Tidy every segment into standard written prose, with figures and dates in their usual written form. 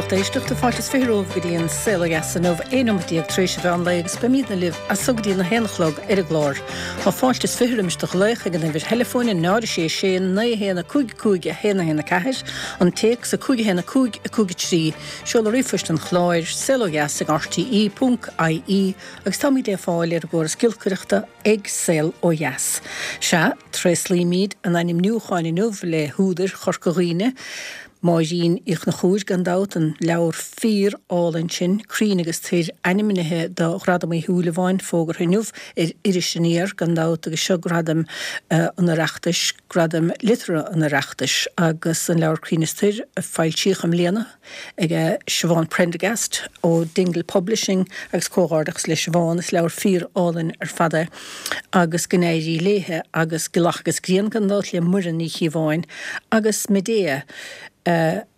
lucht éisteachta, fáilte is 20 romhaibh go dtí an Saol Ó Dheas inniu, 11 nóimeat tar éis an mheán lae agus beimidne libh as so go dtí an 1 a chlog ar an gclár. Tá fáilte is 20 roimis do ghlaoch ag an uimhir theileafóin 0 6 6 9 1 5 5 1 1 4, an téacs 5 1 5 5 3, seoladh ríomhphoist an chláir, saolodheas ag rte ponc ie agus táimid le fáil ar an gcóras giolcaireachta ag Saol Ó Dheas. Sea, tréaslaímid a n-ainmniúcháin inniu le húdair Chorca Dhuibhne, Máirín Uí Chonchúir, gan dabht, an leabhar fíor-álainn sin, Crainn agus Toir, ainmnithe do Ghradam Uí Shúilleabháin, fógartha inniu ar Iris Aniar, gan dabht, agus seo Gradaim an Oireachtais, Gradaim Liteartha an Oireachtais, agus an leabhar Crainn is Toir a foilsíodh i mbliana ag Siobhán Prendergast ó Dingle Publishing agus comhghairdeachas le Siobhán, is leabhar fíor-álainn ar fad é agus go n-éirí léithe agus Gealach agus Grian gan dabht le Muireann Ní Chíobháin agus Medea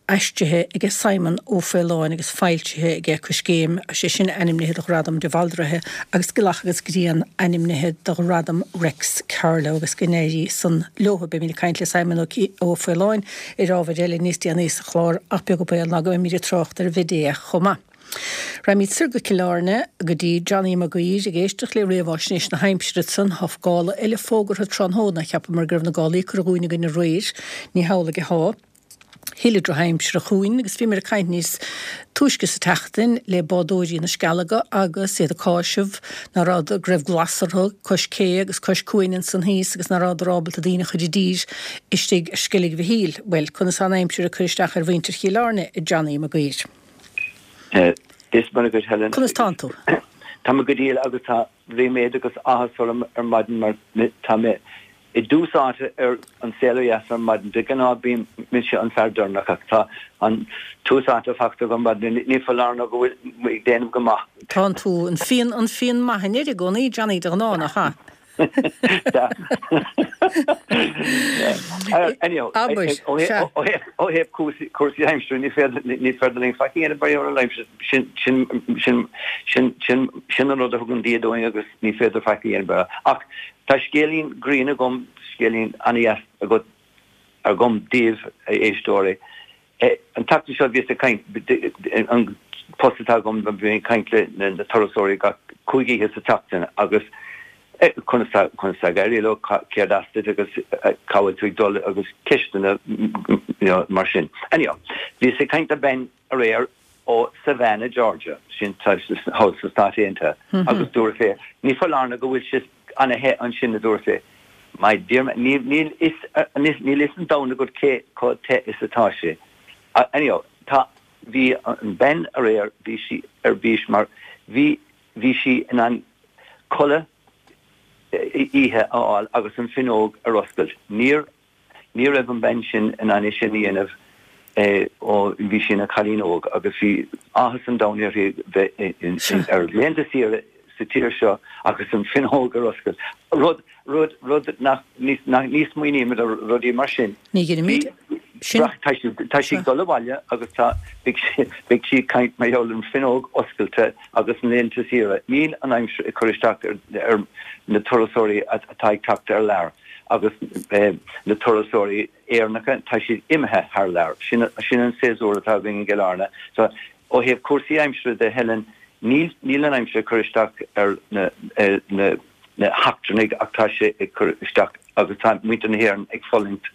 aistrithe aige Simon Ó Faoláin agus foilsithe aige Coiscéim, sé sin ainmnithe do Ghradam de Bhaldraithe agus Gealach agus Grian ainmnithe do Ghradam Reics Carló agus go n-éirí san leothu. Beimid ag caint le Simon Ó Faoláin ar ábhair eile níos déanaí sa chlár ach beag an baol ná go mbeimid ag trácht ar Mhedea chomh maith. Raghaimid soir go Cill Airne go dtí Johnny Mac Uidhir ag éisteacht le réamháisnéis na haimsire ansan. Tá gála eile fógartha tráthnóna. Cheapamar go raibh na gálaí curtha dhúinn againn aréir. Ní hamhlaidh atá. Thuilleadh drochaimsire chugainn agus bhíomar ag caint níos túisce sa tseachtain le bádóirí na Scealaga agus iad ag cáiseamh ná raibh, go raibh glas orthu cois cé agus cois cuain ansan thíos agus ná rabhadar ábalta daoine a chur i dtír istigh ar Sceilg Mhichíl. Bhuel, conas tá an aimsir ag cur isteach ar mhuintir Chill Airne, a Johnny Mag Uidhir? Is maith agat, Helen. Conas tánn tú? Tá mé go diail agus tá ríméad agus áthas orm ar maidin mar tá mé i dtús áite ar An Saol Ó Dheas ar maidin. De ghnáth bíonn mise an fear deireanach ach tá an tús áite faighte agam ar maidin. Ní foláir nó go bhfuil mé ag déanamh go maith. Tánn tú an fíon an fíon maith in Éirinn i gcónaí, Johnny, de ghnáth, nach ea? Anyhow, Abair, sea. ó thaobh cúrsaí aimsire ní féidir ní féidir linn faic a dhéanamh mar gheall ar an aimsir. Sin sin sin sin sin sin an rud a thugann Dia dúinn agus ní féidir faic a dhéanamh. Ach tá scéilín grinn agam, scéilín an-dheas agat agam daoibh, a éisteoirí. An tseachtain seo bhíos ag caint, an post atá agam, bím ag caint le na turasóirí gach 5 oíche sa tseachtain agus conas tá, conas tá ag éirí leo, céard as duit agus cá bhfuil tú ag dul agus ceisteanna you know mar sin. Anyhow, bhíos ag caint le bean aréir ó Savannah, Georgia, sin thall sna Stáit Aontaithe, agus dúirt sé, ní foláir nó go bhfuil sé ana-the ansin, a dúirt sé. My dear man, níl, níl fhios, níl fhios an domhan agat cé chomh te is atá sé. Anyhow, tá, bhí an bean aréir, bhí sí ar bís mar bhí, bhí sí in ann codladh oíche a fháil agus an fuinneog ar oscailt. Níor Ní raibh an bhean sin in ann é sin a dhéanamh ó bhí sí ina cailín óg agus bhí áthas an domhain uirthi bheith ar laethanta saoire sa tír seo agus an fuinneog ar oscailt. Rud, rud, rud nach, ní, ní smaoinímid ar rudaí mar sin. Ní dheinimid sin. Tá sí, tá sí ag dul abhaile agus tá, beidh sí, beidh sí ag caint mar gheall ar an fuinneog oscailte agus na laethanta saoire. Níl an aimsir ag cur isteach ar, ar na turasóirí atá ag teacht ar lear. Agus na turasóirí Éireannacha, tá siad imithe thar lear. Sin an séasúr atá againn i gCill Airne. So, ó thaobh cúrsaí aimsire de, Helen, níl, níl an aimsir ag cur isteach ar na, na, na heachtrannaigh ach tá sé ag cur isteach agus tá muintir na hÉireann ag fulaingt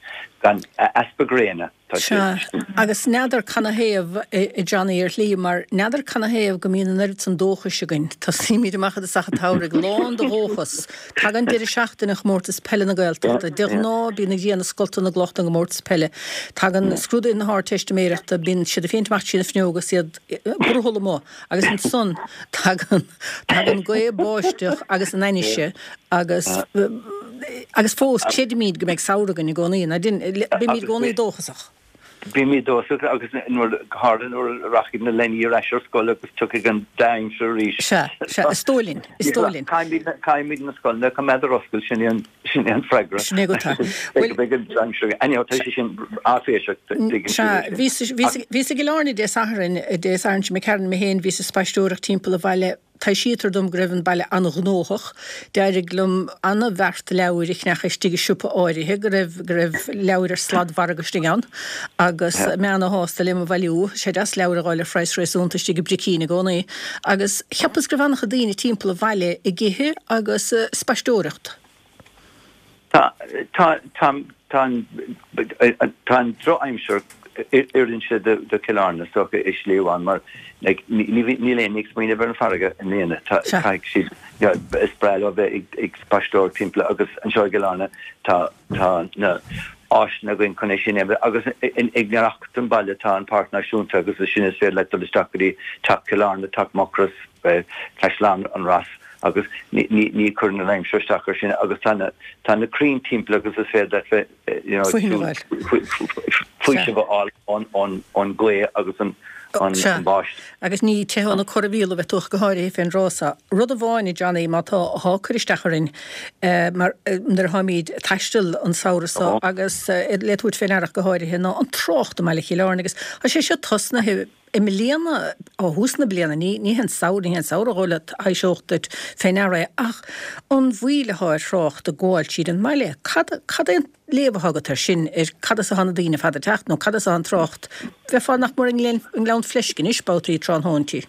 gan easpa gréine. Tá sé. Sea, agus n'fheadar canathaobh, a Johnny, ar shlí, mar n'fheadar canathaobh go mbíonn an oiread san dóchais againn. Tosaímid amach i dtosach an tsamhraidh lán de dhóchas. Tagann deireadh seachtaine Chomórtas Peile na Gaeltachta. De ghnáth, bíonn an ghrian ag scoltadh na gcloch don gcomórtas peile. Tagann scrúduithe na hArdteistiméireachta, bíonn siad ag féachaint amach trí na fuinneoga is iad brothall amuigh. Agus ansan tagann, tagann gaoth, báisteach agus an ainnise agus, agus fós creidimid go mbeidh samhradh againn i gcónaí. Ná dein, bímid i gcónaí dóchasach. Bímid dóchasach agus nuair, go háirithe nuair a rachaidh na leanaí ar ais ar scoil agus tiocfaidh an dea-aimsir arís. Sea, sea, is dóigh linn, is dóigh linn. Caithfimid, caithfimid na scoileanna a choimeád ar oscailt, sin é an, Sin é an freagra. Sin é go tá. Bhuel, beidh an aimsir, anyhow, tá sé sin áiféiseach, tuigeann Sea, bhíos, bhíos, bhíos i gCill Airne Dé Sathairn, Dé Sathairn seo imigh tharainn mé féin, bhíos ag spaisteoireacht timpeall an bhaile. Taibhsítear dom go raibh an baile an-ghnóthach. D'éirigh liom an-bheart leabhair a cheannach istigh i siopa áirithe go raibh go raibh leabhair ar sladmhargadh istigh ann agus mé ana-shásta le mo bhailiú. Sé deas leabhair a dh'fháil ar phraghas réasúnta istigh i bPricín i gcónaí. Agus cheapas go raibh an-chuid daoine timpeall an bhaile ag ithe agus spaisteoireacht. Tá, tá, tá, tá an, tá an drochaimsir oireann sé do Chill Airne is dócha i slí amháin mar like ní, ní, níl éinne ag smaoineamh ar an bhfarraige i mbliana. Tá, caithfidh siad, you know, is breá leo bheith ag, ag spaisteoireacht timpeall agus anseo i gCill Airne tá, tá na áiseanna againn chun é sin a dhéanamh agus i ngiorracht don bhaile tá an Páirc Náisiúnta agus ansin is féidir leat dul isteach go dtí Teach Chill Airne, Teach Mucrois, Caisleán an Ros agus ní chuireann an aimsir isteach ar sin agus tá na tá na crainn timpeall agus is féidir leat bheith you know faoiseamh a fháil ón ón ghaoth agus an an bháisteach. Agus ní teitheadh na corraimhíola a bheith tú ach go háirithe fén dtráth so. Rud amháin, a Johnny, má tá athá ag cur isteach orainn mar nuair atháimíd ag taisteal an samhradh so agus le tabhairt fé ndeara ach go háirithe ná an trácht i mbaile Chill Airne agus tá sé seo tosnaithe I mbliana, ó thús na bliana, ní ní hé an samhradh, ní hé an samhradh dhó le thaibhseodh duit fé ndeara é, ach an mhoill athá ar thrácht ag gabháil tríd an mbaile. Cad, cad é an léamh athá agat air sin, ar cad as athá na daoine ar fad ag teacht, nó cad as athá an trácht? Bheifeá nach mór i nGleann, i nGleann Fleisce anois, babhtaí tráthnóintí.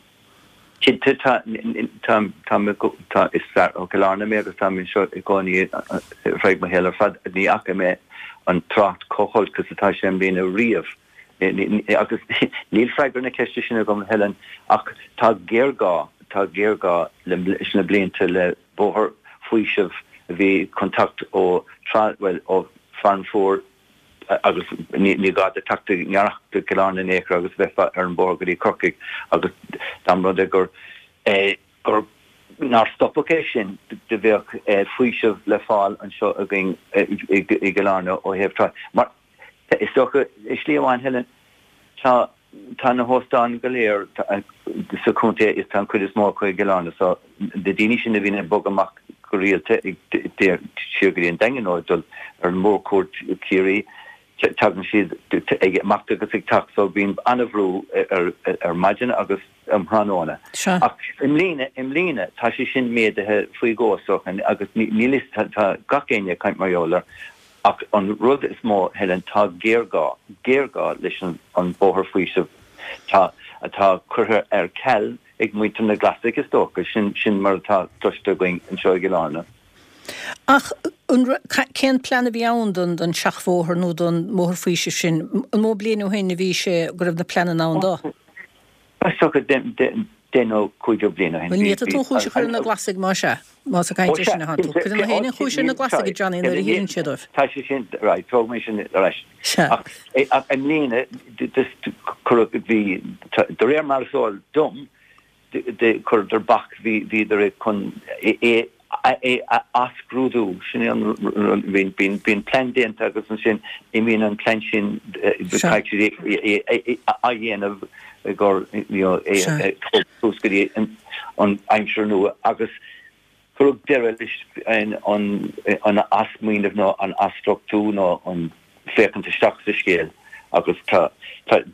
Cinnte, tá, tá, tá mé, tá, is fear ó Chill Airne mé agus táim anseo i gcónaí ar feadh mo shaoil ar fad. Ní fhaca mé an trácht chomh holc is atá sé i mbliana riamh. Agus níl freagra na ceiste sin agam, Helen, ach tá géarghá, tá géarghá leis na blianta le bóthar faoisimh a bhí chun teacht ó Trá, bhuel, ó Farranfore agus ní gá duit teacht i ngiorracht do Chill Airne in aon chor agus bheifeá ar an bóthar go dtí Corcaigh agus dá mba rud é gur, gur, nár stopadh é sin do bheadh faoiseamh le fáil anseo againn i gCill Airne ó thaobh trácht. Mar. Is dócha, i slí amháin, Helen, tá, tá na hóstáin go léir sa chontae is tá an chuid is mó acu i gCill Airne so na daoine sin a bhíonn ag bogadh amach go rialta ag siar go dtí an Daingean nó ag dul ar an mórchuaird Ciarraí, tagann siad ag imeacht agus ag teacht so bíonn an-bhrú ar ar maidin agus um thráthnóna. Ach i mbliana, i mbliana tá sé sin méadaithe faoi dhó is dócha agus níl fhios, tá gach éinne ag caint mar gheall air Ach an rud is mó, Helen, tá géarghá, géarghá leis an bóthar faoisimh tá, atá curtha ar ceal ag muintir na Glasaigh, is dócha. Sin, sin mar atá cloiste againn anseo i gCill Airne. Ach an, cén plean a bhí ann don, don seachbhóthar nó don mbóthar faoisimh sin? An mó bliain ó shin a bhí sé go raibh na pleananna ann dó? Is dócha 10 nó 15 bliain ó shin. Bhuel, ní fhéadfaidh tú an chúis a chur ar na Glasaigh más ea, más ag caint air sin atánn tú. Cuireann na héinne an chúis ar na Glasaigh, a Johnny, nuair a hiarrann siad dóibh. Tá sé sin, right, tóg mé sin ar ais. Sea. Ach i mbliana, cuireadh, bhí, de réir mar is eol dom, chuireadar bac, bhíodar chun é é a athscrúdú, sin é an rud, bíonn plean déanta agus ansin imíonn an plean sin, caithfidh siad é a athdhéanamh gur, you know, é a thabhairt suas go dtí an aimsir nua agus cuireadh deireadh leis an athsmaoineamh nó an athstruchtú nó an féachaint isteach sa scéal agus tá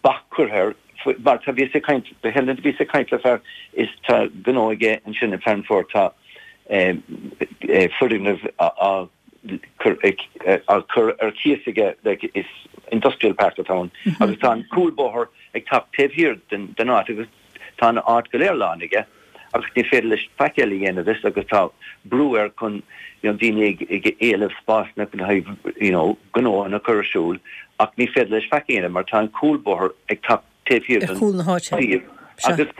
bac curtha air mar tá bhíos ag caint Helen bhíos ag caint le fear is tá gnó aige ansin i Farranfore tá foirgneamh á cur á cur ar cíos aige like is industrial park atá ann agus tá an cúlbóthar ag teacht taobh thiar den den áit agus Tá an áit go léir lán aige agus ní féidir leis faic eile a dhéanamh is agus tá brú air chun you know daoine ag ag éileamh spásanna le haghaidh you know gnóanna a chur ar siúl ach ní féidir leis faic a dhéanamh mar tá an cúlbóthar ag teacht taobh thiar den chúl na háite. suíomh agus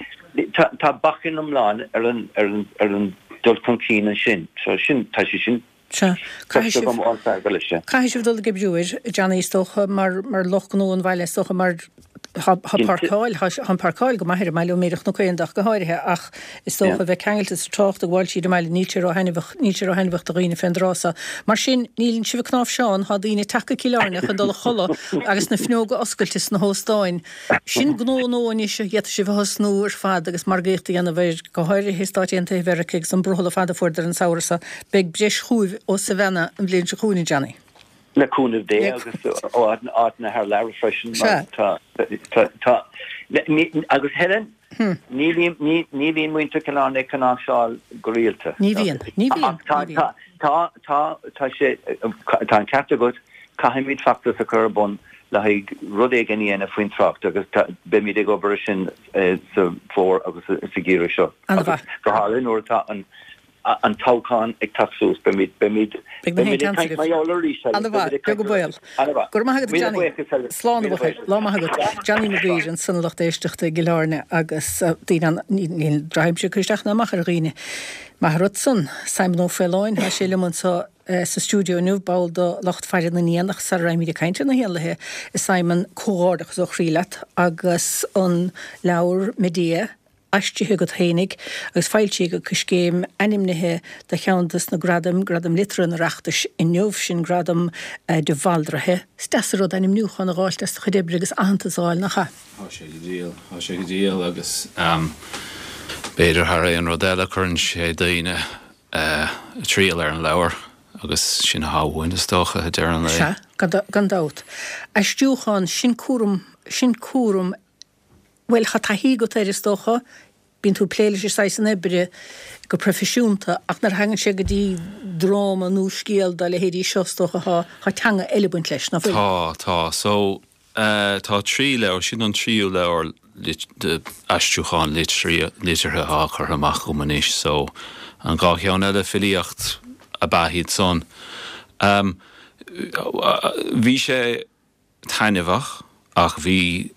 tá tá bacainn iomlán ar an ar an ar an dul chun cinn ansin so sin tá sé sin Sea. Caithfidh sibh, caithfidh sibh dul ag oibriú air, Johnny, is dócha, mar, mar lucht gnó an bhaile, is dócha, mar tá, tá páirceáil, tá, tá an páirceáil go maith ar an mbaile, ó Mhéar Chnoc Éanda ach go háirithe, ach is dócha bheith ceangailte sa trácht ag gabháil tríd an mbaile, níl sé ró-thaitneamhach, níl sé ró-thaitneamhach do dhaoine fén dtráth so. Mar sin, níleann sibh ag cnáimhseán, tá daoine ag teacht go Cill Airne chun dul a chodladh agus na fuinneoga oscailte sna hóstáin. Sin gnó nua anois a d'fhéadfadh sibh a thosnú ar fad agus margaíocht a dhéanamh air, go háirithe i Stáit Aontaithe Mheiriceá agus an brothall ar fad a fuaireadar an samhradh seo. Beidh breis chugaibh ó Savannah an bhliain seo chugainn, a Johnny. Le cúnamh Dé agus ó áiteanna thar lear freisin mar tá, tá, tá, agus Helen? Ní bhíonn muintir Chill Airne ag cnáimhseáil go rialta. Ní bhíonn. Ní bhíonn. Ach tá, tá, tá, tá sé, tá an ceart agat, caithfimid feachtas a chur ar bun le haghaidh rud éigin a dhéanamh faoin trácht agus beimid ag obair ar sin sa bhfómhar agus sa gheimhreadh seo. Agus go háirithe nuair atá an an toghchán ag teacht suas, beimid, beimid, Beidh na beimid haon ag caint chance mar agaibh. gheall arís, Helen. Ana mhaith, Beimid ag beag caint an baol. Ana mhaith. Go raibh maith agat, Míle Johnny. buíochas, Helen. Slán a Míle bhuachaill. buíochas. Lá maith agat. Johnny Maguire ansan a lucht éisteachta i gCill Airne agus daoine an, níl drochaimsir ag cur isteach ná amach ar dhaoine. Maith an rud san. Simon Ó Faoláin, tá sé liom anso sa stiúideo inniu, ball de lucht faire na n-éan ach sara raghaimid ag caint ar na héanlaithe, a Simon, comhghairdeachas ó chroí leat agus an leabhar Medea, aistrithe agat fhéinig agus foilsithe ag Coiscéim, ainmnithe do cheann des na gradaim, Gradam Liteartha an Oireachtais inniu, sin gradam de Bhaldraithe. Is deas an rud ainmniúchán a dh'fháilt as do chuid oibre agus aitheantas a dh'fháil, nach ea? Tá sé go diail, tá sé go diail agus b'fhéidir thar aon rud eile cuireann sé daoine ag triall ar an leabhar agus sin atá uainn is dócha, ag deireadh an lae. Sea, gan dabht. Aistriúchán, sin cúram, sin cúram Bhuel, tá taithí agat air, is dócha. Bíonn tú ag plé leis an saghas san oibre go proifisiúnta, ach nuair a thagann sé go dtí dráma nó scéal dá leithéidí seo, is dócha, tá, tá teanga eile ag baint leis, ná fuil? Tá, tá. So, tá trí leabhar, sin an tríú leabhar de aistriúchán liteartha atá curtha amach agam anois. So, an dhá cheann eile, filíocht ab ea iad san. Bhí sé. taitneamhach ach bhí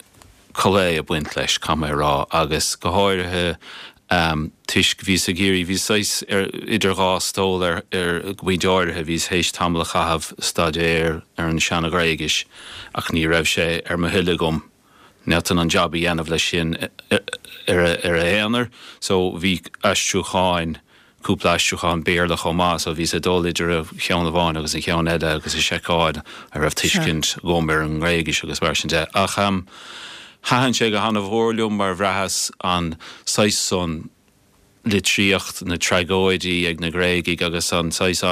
culaith ag baint leis, caithfidh mé a rá, agus go háirithe toisc bhíos ag iarraidh, bhíos saghas ar idir dhá stól ar ar go pointe áirithe, bhíos théis tamall a chaitheamh ag staidéar ar an seana-Ghréigis ach ní raibh sé ar mo thoil agam ní fhéadfainn an jab a dhéanamh leis sin ar a aonar so bhí aistriúcháin cúpla aistriúchán Béarla chomh maith so bhíos ag dul idir an cheann amháin agus an cheann eile agus ag seiceáil an raibh tuiscint agam ar an nGréigis agus mar sin de. Ach thaitin sé go han-mhór liom mar bhraitheas an saghas san litríocht, na tragóidí ag na Gréagaigh agus an saghas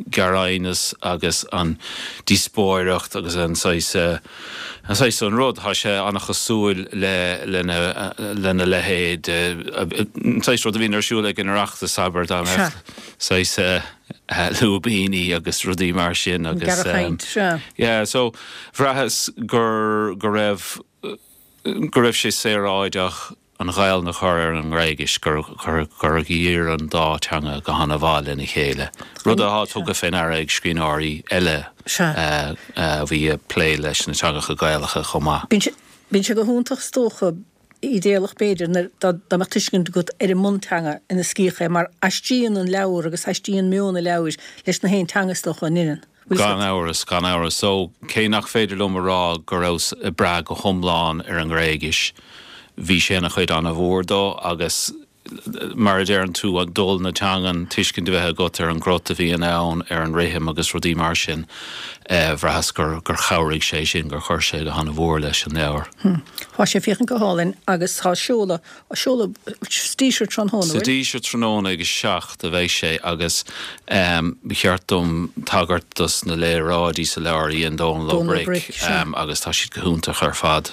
gearraighneas agus an díospóireacht agus an saghas, an saghas san rud, tá sé an-chosúil le, lena, lena leithéid, an saghas rud a bhíonn ar siúl ag an Oireachtas, abair, dá mbeadh saghas lúibíní agus rudaí mar sin agus. Gearrchaint, sea. Yeah, so bhraitheas gur, go raibh, go raibh sé saoráideach an Ghaelainn a chur ar an nGréigis, gur gur oir an dá teanga go han-mhaith lena chéile, rud atá tugtha fé ndeara ag scríbhneoirí eile a bhí ag plé leis na teangacha Gaelacha chomh maith. Bíonn sé go hiontach is dócha, idéalach b'fhéidir, nuair dá mbeadh tuiscint agat ar an mbunteanga ina scríobhadh é, mar aistríonn an leabhar agus aistríonn meon an leabhair leis na haon teanga is dócha, an ndeineann? Gan amhras, gan amhras. So, cé nach féidir liom a rá go rabhas ag brath go hiomlán ar an nGréigis, bhí sé ina chuid an-mhór dó agus mar a deireann tú, dul na teangan, tuiscint a bheith agat ar an gcrot a bhíonn ann, ar an rithim agus rudaí mar sin, bhraitheas gur chabhraigh sé sin, gur chuir sé go han-mhór leis an leabhar. Tá sé ag féachaint go hálainn agus tá seoladh Á seoladh sa Díseart tráthnóna, Sa Díseart tráthnóna ag a 7 a bheidh sé agus ba cheart dom tagairt dos na léaráidí sa leabhar a dhein Dónal Ó Bric agus tá siad go hiontach ar fad.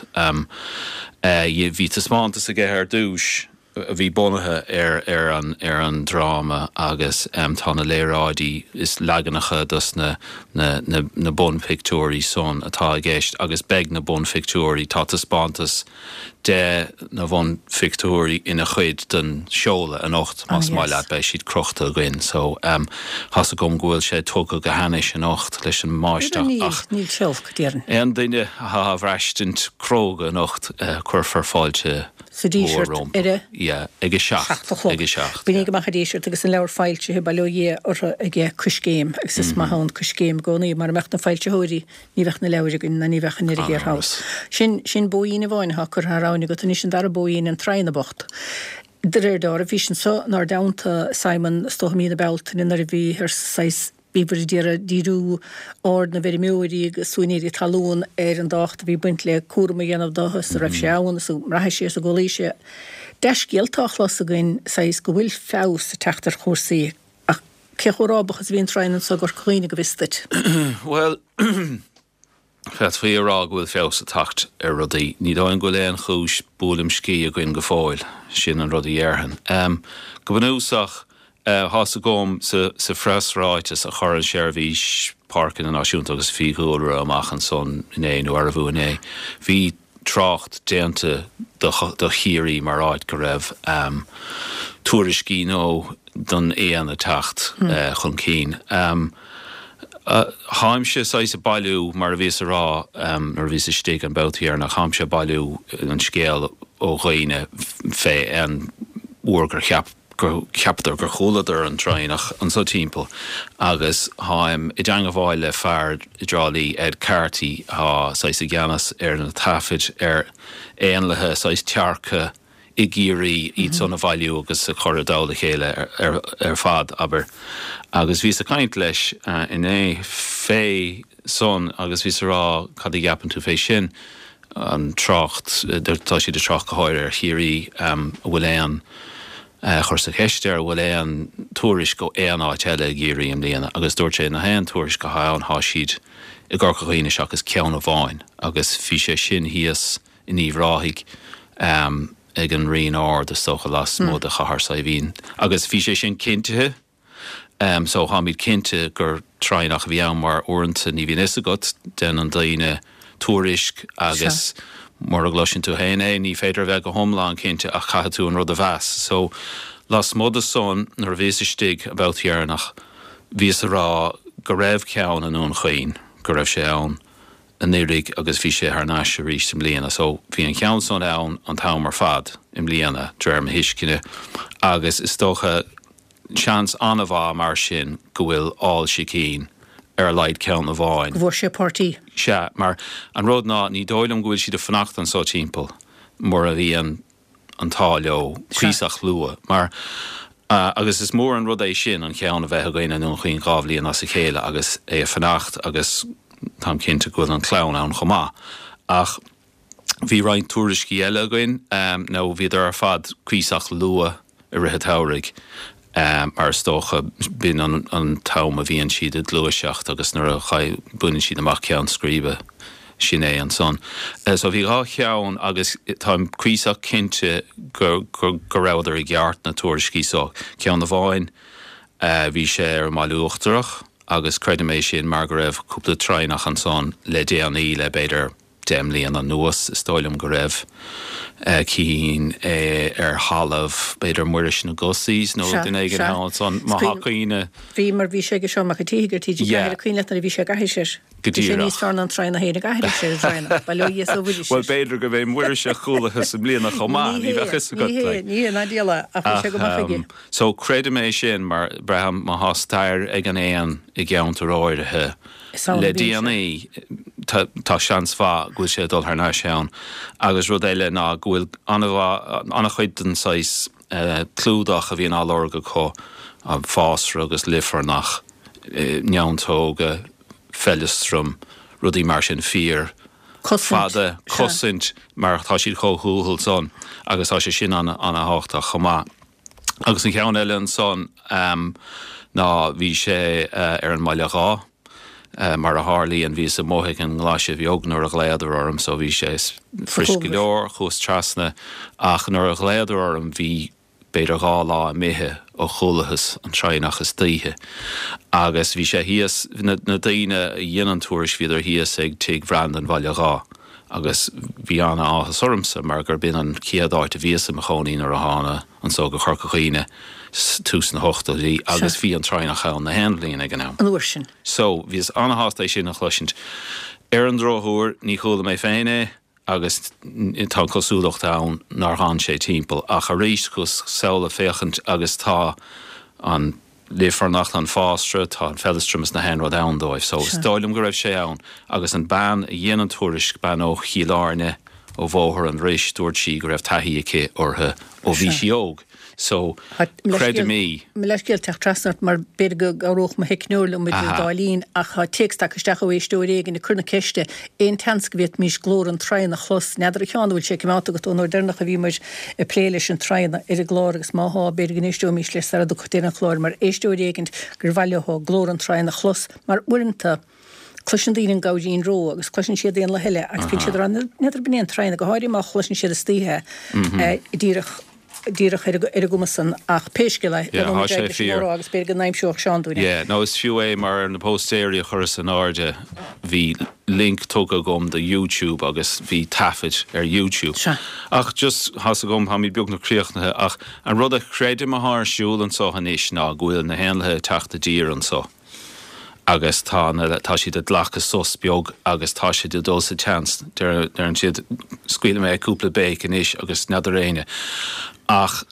Bhí taispeántas aige ar dtús a bhí bunaithe ar an ar an dráma agus tá na léaráidí is leaganacha dos na na bunphictiúirí san atá i gceist agus beidh na bunphictiúirí, tá taispeántas de na bunphictiúirí ina chuid den seoladh anocht, más maith leat, beidh siad crochta againn so tá's agam go bhfuil sé tugtha go hainnis anocht leis an mbáisteach ach Níl sé olc, déarfainn. aon duine atá á bhraistint cróga anocht, cuirfear fáilte Sa mhór Díseart rompu. ar a. Yeah, ag a 7 a chlog. Ag a 7, Bíonn amach a Díseart agus an leabhar foilsithe, bail ó Dhia orthu aige Coiscéim agus is maith ann Coiscéim i gcónaí mara mbeadh na foilsitheoirí Ní bheadh na leabhair againn ná ní bheadh an oiread thiar thall. Sin, sin bóín amháin atá curtha thar abhainn agat anois, an dara bóín, an Traighean Bocht. De réir dealraimh, bhís anso 'nár dteannta, Simon, is dócha mí na Bealtaine nuair a bhíothar saghas, bhíobhair ag iarraidh díriú aird na bhfeirmeoirí agus úinéirí talún ar an dtábhacht a bhí ag baint le cúram a dhéanamh dó is a raibh sé ann is a mbraithfidh sé is a gcodlaíonn sé. Dea-scéalta á chlos againn, saghas, go bhfuil feabhas ag teacht ar chúrsaí. Ach cé chomh rábach is a bhí an traighean anso i gCorca Dhuibhne, go bhfios duit? Bhuel, Féadfaí a rá go bhfuil feabhas ag teacht ar rudaí. Ní dóigh liom go bhfuil aon chúis buaileam scíth againn go fóill, sin an rud a dhéarfainn. Go bunúsach, tá's agam sa phreasráiteas a chuir an tSeirbhís Páirceanna Náisiúnta agus Fiadhúlra amach ansan inné nó arbh inné, bhí trácht déanta do Chiarraí mar áit go raibh tuairiscí nó don éan ag teacht chun cinn. Táimse saghas ag bailiú, mar a bhíos a rá nuair a bhíos istigh an babhta dheireanach, táimse ag bailiú an scéal ó dhaoine fé aon uair gur cheap gur cheapadar gur chualadar an traonach anso timpeall agus táim i dteangabháil le fear i dTrá Lí, Ed Carty, atá saghas i gceannas ar na taifid ar éanlaithe saghas tearca i gCiarraí, iad san a bhailiú agus a chur i dtoll a chéile ar fad, abair. Agus bhíos ag caint leis inné fé san agus bhíos a rá cad a cheapann tú fé sin, an trácht, tá siad ag trácht go háirithe ar Chiarraí, an bhfuil aon, chuireas-sa cheist air, an bhfuil aon tuairisc ó aon áit eile i gCiarraí i mbliana agus dúirt sé na haon tuairisc atá ann thá siad i gCorca Dhuibhne seachas ceann amháin agus bhí sé sin thíos in Uíbh Ráthaigh ag an Rinn Ard is dócha lasmuigh de Chathair Saidhbhín agus bhí sé sin cinntithe so táimid cinnte gur traonach a bhí ann mar uaireanta ní bhíonn fhios agat, déanann daoine tuairisc agus mura gcloiseann tú féin é ní féidir a bheith go hiomlán cinnte ach caithfidh tú an rud a mheas. So lasmuigh de san nuair a bhíos istigh an babhta dheireanach bhíos a rá go raibh ceann i nDún Chaoin, go raibh sé ann anuraidh agus bhí sé thar n-ais arís i mbliana. So bhí an cheann san ann an t-am ar fad i mbliana, de réir mo thuisceana, agus is dócha seans an-mhaith mar sin go bhfuil ál sicín ar a laghad ceann amháin. Go bhfuair sé páirtí. Sea, mar an rud ná ní dóigh liom go bhfuil siad ag fanacht anso timpeall mura mbíonn an t-ádh leo cuíosach luath mar agus is mór an rud é sin an cheann a bheith againn i nDún Chaoin 2 bhliain as a chéile agus é ag fanacht agus táim cinnte go bhfuil an chlann ann chomh maith ach bhí roinnt tuairiscí eile againn nó bhíodar ar fad cuíosach luath i rith an tsamhraidh mar is dócha b'in an t-am a bhíonn siad ag gluaiseacht agus nuair a bhaineann siad amach ceann scríbe, sin é ansan. So bhí 2 cheann agus táim cuíosach cinnte go rabhadar i gceart, na tuairiscí so. Ceann amháin bhí sé ar an mBaile Uachtarach agus creidim é sin mar go raibh cúpla traonach ansan le déanaí, le b'fhéidir 10 mbliana anuas, is dóigh liom go raibh cinn ar thalamh, b'fhéidir Muiris na Gussies nó duine éigin ann ansan, má thá cuimhne. Bhí, mar bhí sé ag Seán Mac an tSíthigh ar TG4, an cuimhin leat nuair a bhí sé ag aithris air. Go díreach. Bhí sé níos fearr ná an traonach féin ag aithris ar an dtraonach, bail ó Dhia is ó Mhuiris air. Bhuel, b'fhéidir go mb'é Muiris a chualathas i mbliana chomh maith, ní bheadh fhios agat. Ní hé, ní hé, ná diabhal é, ach bhí sé go maith aige. So, creidim é sin mar braithim má thá stair ag an éan i gceantar áirithe, Le déanaí, tá seans mhaith go bhfuil sé ag dul thar n-ais ann. Agus rud eile ná go bhfuil an-chuid den saghas clúdach a bhíonn á lorg acu, fásra agus luifearnach, neantóga, feileastram, rudaí mar sin, fíor fada, cosaint, mar tá siad chomh thuathal san agus tá sé sin an-thábhachtach chomh maith. Agus an cheann eile ansan ná bhí sé ar an mBaile Dháith. Mar a tharlaíonn bhíos amuigh ag an nGlaise Bheag nuair a ghlaodar orm so bhí sé friosc go leor, chuas trasna ach nuair a ghlaodar orm bhí b'fhéidir 2 lá imithe ó chualathas an traonach istoíche. Agus bhí sé thíos, na daoine a dhein an tuairisc bhíodar thíos ag tigh Bhreandan Bhaile Dháith agus bhí ana-áthas ormsa mar gur b'in an chéad áit a bhíos i mo chónaí nuair a thána anso go Corca Dhuibhne tús na hochtóidí agus bhí an traonach ann na haon bhliain ag an am. An uair sin. So, bhíos ana-shásta é sin a chloisint. Ar an drochuair, ní chuala mé féin é agus tá an cosúlacht ann nár dh'fhan sé timpeall. Ach arís, chuas sall ag féachaint agus tá an luifearnach, an fásra, tá an feileastram is na haon rud ann dóibh. So, is dóigh liom go raibh sé ann. Agus an bean a dhein an tuairisc, bean ó Chill Airne, ó Bhóthar an Rois, dúirt sí go raibh taithí aici orthu ó bhí sí óg. So, creidim í. Mo leithscéal teacht trasna ort mar b'fhéidir go gcabhródh mo theicneoir liom idir an dá linn ach tá téacs tagtha isteach ó éisteoir éigin ag cur na ceiste, aon tseans go bhféadfaimis glór an traonaigh a chlos? N'fheadar a Sheáin an bhfuil sé coimeádta agat ón uair deireanach a bhíomar ag plé leis an traonach ar an gclár agus má thá, b'fhéidir go n-éisteoimis leis sara dtiocfadh deireadh an chláir mar éisteoir éigin gur mhaith leo glór an traonaigh a chlos mar uaireanta. Cloiseann daoine an gabhairín ró agus cloiseann siad éanlaith eile agus bíonn siad ag rá n'fheadar ab in é an traighean, go háirithe má chloiseann siad istoíche é díreach díreach ar an gcuma san ach pé scéal é, Yeah, leanfaimid tá ar sé aghaidh leis an fíor. gcomhrá agus b'fhéidir go n-aimseoidh Seán dúinn é. Yeah, no is fiú é mar ar na póstaeirí a chuireas in airde bhí link tugtha agam do YouTube agus bhí taifead ar YouTube. Sea. Ach just, tá's agam, táimid beagnach críochnaithe ach an rud a chreidim athá ar siúl anso anois ná go bhfuil na héanlaithe ag teacht i dtír anso. agus tá na, tá siad ag glacadh sos beag agus tá siad ag dul sa tseans, deireann siad, scaoilfidh mé cúpla béic anois agus n'fheadar éinne. Ach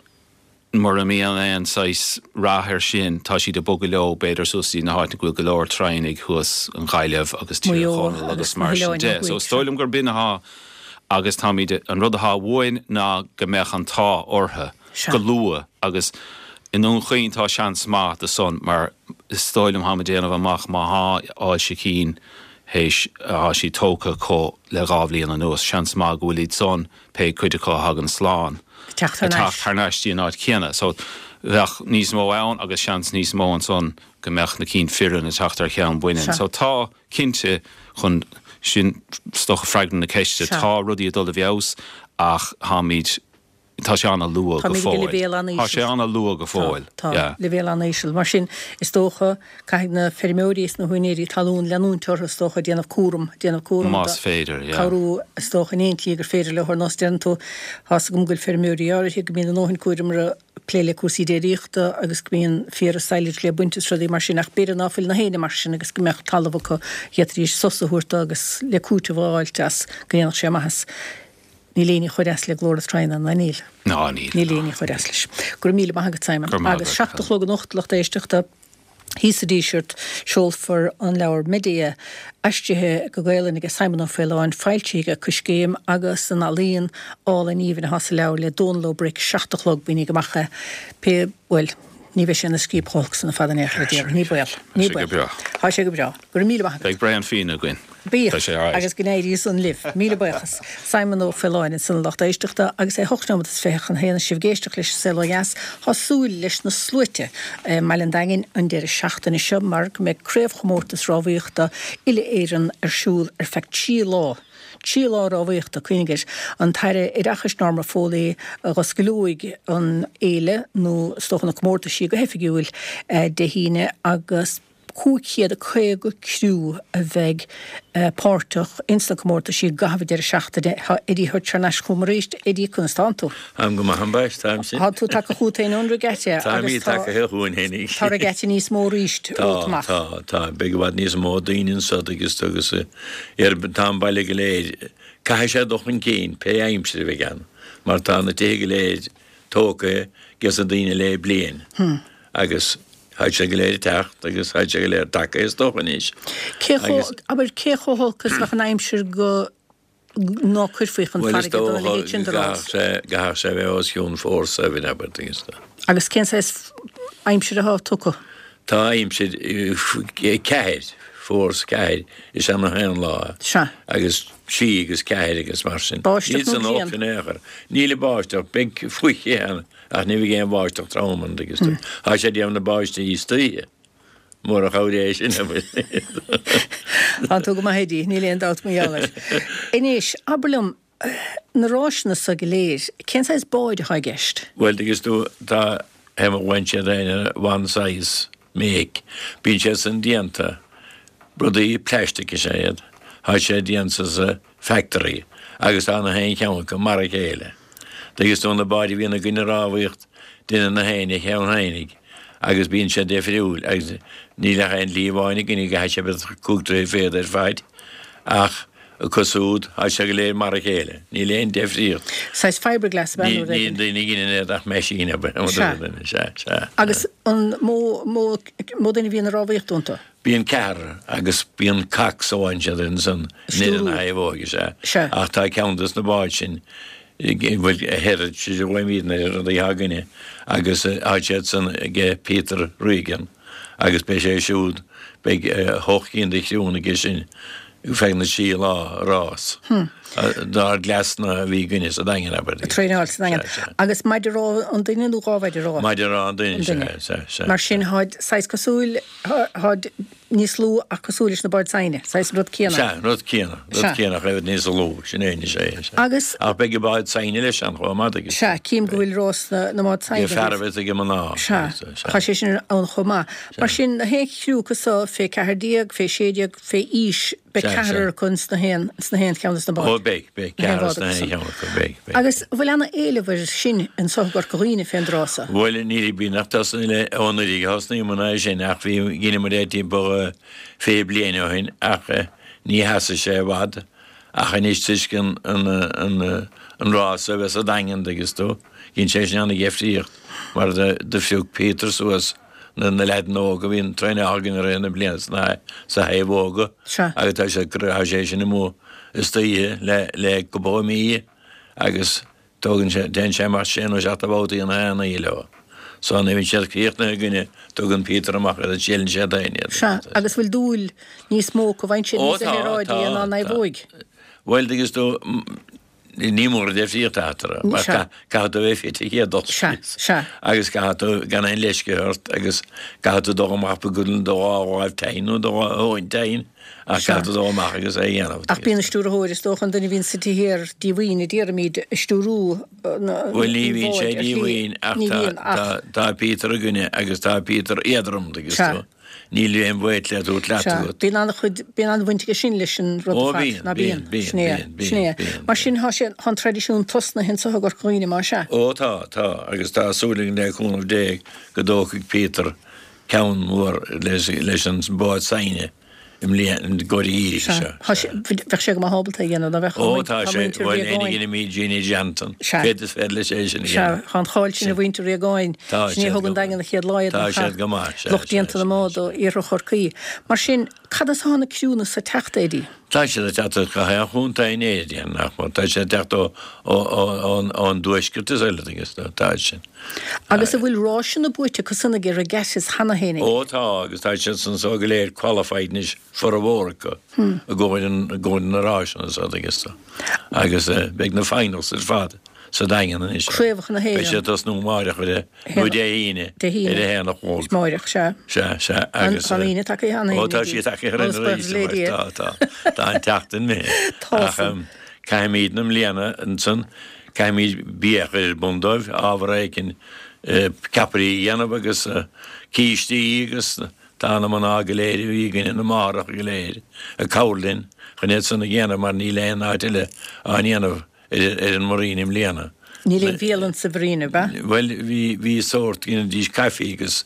mura mbíonn aon saghas rath air sin, tá siad ag bogadh leo b'fhéidir suas dtí na háiteanna go bhfuil go leor traigheanaigh thuas, an Ghaillimh agus Tír Maigh Eo Chonaill agus agus na mar sin hoileáin ó de. So thuaidh, is dóigh sea. liom gur b'in athá agus táimid, an rud athá uainn ná go mbeadh an t-ádh orthu. Sea. go luath agus i nDún Chaoin tá seans maith do san mar is dóigh liom tháim ag déanamh amach má thá ailse cinn théis thá siad tógtha acu le 2 bhliain anuas, seans maith go bhfuil iad san, pé cuid acu a thagann slán, Ag teacht thar ag n-ais. teacht thar n-ais dtí an áit chéanna. So bheadh níos mó ann agus seans níos mó ansan go mbeadh na cinn fireann ag teacht ar cheann baineann. Sea. So tá, cinnte, chun, sin is dócha freagra na ceiste, Sea. tá rudaí ag dul i bhfeabhas ach tháimid, Tá sé an-luath go Táimid ag fóill. leibhéal Tá sé an-íseal. an-luath go Tá, fóill. tá. Yeah. Leibhéal an-íseal. Mar sin, is dócha, caithfidh na feirmeoirí is na húinéirí talún leanúint orthu, is dócha, ag déanamh cúram, déanamh cúram do, Más féidir, yeah. cabhrú, is dócha, in aon tslí gur féidir leo. Ar nós, deireann tú, tá's agam go bhfuil feirmeoirí áirithe go mbíonn a ndóthain cúraim orthu plé le cúrsaí déiríochta agus go mbíonn féar is silage le baint is rudaí mar sin ach b'fhéidir ná fuil na héinne mar sin agus go mbeadh talamh acu, d'fhéadfaidís sos a thabhairt dó agus le cúiteamh a fháilt as, go ndéanfadh sé maitheas. Níl éinne chomh deas le glór na traigheanna, ná níl? Ná níl. Níl éinne chomh deas leis. Go raibh míle maith agat, Simon. Go raibh maith Agus agat, 7 a chlog anocht, lucht éisteachta, thíos sa Díseart, seolfar an leabhar Medea, aistrithe go Gaelainn aige Simon Ó Faoláin, foilsithe aige Coiscéim, agus an ealaín álainn aoibhinn atá sa leabhar le Dónal Ó Bric, 7 a chlog, mínigh amach é, pé, bhuel, ní bheidh sé ina scríob chomh holc san ar fad in aon chor, a déarfainn. Ní baol. Ní Tá sé go baol. breá. Tá sé go breá. Go raibh míle maith agat. Beidh braon fíona againn. Bíodh, Tá sé alright. agus go n-éirí san libh. Míle buíochas. Simon Ó Faoláin ansan a lucht éisteachta agus é hocht nóiméad is 20 chun a haon is sibh ag éisteacht leis an Saol Ó Dheas. Tá súil leis na sluaite i mBaile an Daingin an deireadh seachtaine seo mar go mbeidh craobhchomórtas rámhaíochta uile-Éireann ar siúl ar feadh 3 lá. 3 lá rámhaíochta, cuimhnigh air. An tAire Oideachais Norma Foley a dh'osclóidh an fhéile nó is dócha na comórtaisí go hoifigiúil Dé hAoine agus 550 criú a bheidh páirteach ins na comórtaisí i gcaitheamh an deireadh seachtaine. Tá Eddie Hutch thar n-ais chugam arís. Eddie, conas tánn tú? Táim go maith, ambaist, táimse. Tá tú tagtha chugat féin ón regatta agus Táimid tá tagtha chugainn féinig. tá regatta níos mó arís Tá, romhat amach. tá, tá. Beidh i bhfad níos mó daoine anso agus agus ar tá an baile go léir. Caithfidh sé dul chun cinn pé aimsir a bheidh ann mar tá na tithe go léir tógtha ages na daoine le bliain agus tháid siad go léir ag teacht agus tháid siad go léir tagtha is dócha anois. Cé chomh, Agus. abair, cé chomh holc is bheadh an aimsir go ná cuirfí chun Bhuel is farraige dá dócha leithéid sin de go rás? gcaithfeadh sé, gcaithfeadh sé a bheith os cionn force seven abair agus. Agus cén saghas aimsir atá tugtha? Tá aimsir ceathair, force ceathair is ea na haon lá. Sea. Agus trí agus ceathair agus mar sin. Báisteach Níl san nó olc grian? in aon chor. Níl an báisteach, beidh fuiche ann ach ní bheidh aon bháisteach trom ann agus tá sé ag déanamh na báistí istoíche. Mura chabhair é sin abair. Tá tú go maith Eddie, níl aon dabht mar gheall air. Anois, abair liom, Na ráiseanna so go léir, cén saghas báid atá i gceist? Bhuel, tuigeann tú, tá bhain siad ar one size make. Bíonn siad san déanta, rudaí plastic is ea iad, tá sé déanta sa factory agus tá na haon cheann acu mar a chéile. Tuigeann tú, na báid a bhíonn againn ag rámhaíocht, déanann na héinne a cheann fhéinig agus bíonn sé difriúil agus níl ach aon shlí amháin againn go gcaithfidh sé bheith cúig troithe fichead ar faid ach acu siúd, tá sé go léir mar a chéile. Níl aon deifríocht. Saghas fibreglass ab ea nó Ní rud éigin? daoine a dheineann iad ach meaisín ab ea. Sea. Sea, sea. Agus an mó, mó, mó duine a bhíonn ag rámhaíocht iontu? Bíonn ceathrar agus bíonn cox a bhain siad ansan in Stiúrú. na thaobhóige, sea. Sea. Ach tá ceann dos na báid sin, bhuel, Heritage a ghlaoimídne ar na rudaí atá againne agus tá siad san aige Peter Regan. agus beidh sé siúd, beidh hocht gcinn de chriúnna aige sin feadh na dtrí lá rás. Dár gcleasanna a bhí againne sa Daingean, abair. Ag traenáil sa Daingean. Sea, sea. Agus maide rámha an duine nó 2 mhaide rámha? Maide rámha an duine, sea, sea, sea. Mar sin, tháid saghas cosúil, tháid níos lú ach cosúil leis na báid saighne, saghas an rud céanna. Sea, an rud céanna, rud céanna ach i bhfad níos lú, sin é anois é, sea. Agus. Ach beidh an bád saighne leis ann chomh maith, agus. Sea, cím go bhfuil rás na mbád saighne. Ag fearaibh is ag mná. Sea, tá sé sin ann chomh maith. Mar sin, na haon chriú acu so, fé 14, fé 16, fé aois, Beidh ceathrar acu ins na haon, ins na haon cheann des na báid. Ó beidh, beidh, ceathrar ins na haon cheann acu, beidh, beidh. Agus an bhfuil ana éileamh air sin anso i gCorca Dhuibhne fén dtráth so? Bhuel, ní bhí nach tosnaigh le, ó anuraidh a thosnaíomar é sin ach bhí, dheineamar é timpeall 20 bliain ó shin ach ní sheasfaidh sé i bhfad ach anois toisc an, an, an, an rás a bheith sa Daingean dtuigeanns tú, dhein sé sin ana-dheifríocht mar do, do phioc Peter suas na leaideanna óga a bhíonn traenáil againn i rith na bliana sna sa thaobh óga agus tá sé tá sé sin amuigh istoíche le le cúpla mí agus tógann sé téann sé amach sé nó seacht de bhabhtaí na haon oíche leo. So nuair a bhíonn siad críochnaithe againne tugann Peter amach iad agus siúlann sé féin iad. Sea, agus bhfuil dúil níos mó acu bhfaigheann siad Ó níos tá, saoráidí tá, ná tá. naomhóig? Bhuel, tuigeanns tú, Ní mór an difríocht eatarthu, mar caithfidh tú a bheith fit an chéad dul síos agus caithfidh tú gan aon leisce ort agus caithfidh tú dul amach go do dhá láimh tinn nó do dhá thóin tinn ach caithfidh tú dul amach agus é a dhéanamh. Ach bíonn an stiúrthóir, is dócha, an duine a bhíonn suite thiar díomhaoin, a déarfaimid, ag stiúrú an Bhuel, ní bhíonn bháid sé ar shlí. díomhaoin ach tá Peter againne agus tá Peter éadrom, tuigeanns tú. Níl aon bhaol le tabhairt leat Sea, agat. bíonn an-chuid, bíonn an-bhaint aige sin leis an rud Ó ar fad, bíonn, ná bíonn, bíonn? bíonn, Sin é, bíonn, sin é. bíonn, bíonn. Mar sin, tá sé, tá an traidisiún tosnaithe anso i gCorca Dhuibhne, más ea? Ó tá, tá, agus tá súil againn le cúnamh Dé go dtógfaidh Peter ceann mór leis, leis an bád saighne i mbliana, i gcomhair an gheimhridh Sea, seo. tá sé, bheadh sé go maith ábalta é a dhéanamh, ná bheadh? Ó tá Tá sé, muintir bhuel, Riagáin. Éinne Jeannie Johnson, Sea. féad is féidir leis é sin a Sea, dhéanamh. tá an cháil sin ar mhuintir Riagáin, Tá sin é a siad thug go an Daingean an chéad lá iad, Tá nach ea? siad go maith, sea, Lucht sea, déanta na sea, mbád sea. ó iarthar Chorcaí. Mar sin, cad as atá na criúnna so ag teacht, Eddie? Tá siad ag teacht as gach aon chontae in Éirinn, nach mór. Tá siad ag teacht ó, ó, ó, ón, ón dtuaisceart is eile, agus tá sin. Agus an bhfuil ráiseanna buaite acu san ag regattas cheana féin? Ó tá, agus tá siad san so go léir qualified anois, formhór acu, i gcomhair an, i gcomhair na ráiseanna so, agus agus beidh na finals ar fad sa Daingean anois. Craobhacha na Beidh hÉireann. siad ag tosnú amáireach ar a, nó Dé hAoine, Dé hAoine. ar a haon a chlog. Amáireach, sea. Sea, sea, agus. Tá an Aoine tagtha cheana féin. Ó tá sí tagtha Ó, is buíochas le Dia. Tá, tá, tá an tseachtain imithe. Tá Ach san. caithfimid na mbliana ansan, Caithfimid bia a chur ar bun dóibh, ábhar éicint, ceapairí a dhéanamh agus cístí agus tá na mná go léir a bhí againne, na máithreacha go léir, ag cabhair linn chun iad san a dhéanamh mar níl aon áit eile á ndéanamh ar an Marina i mbliana. Níl aon bhialann sa Mharina, ab ea? Bhuel, bhí, bhí sórt, dheinidís caife agus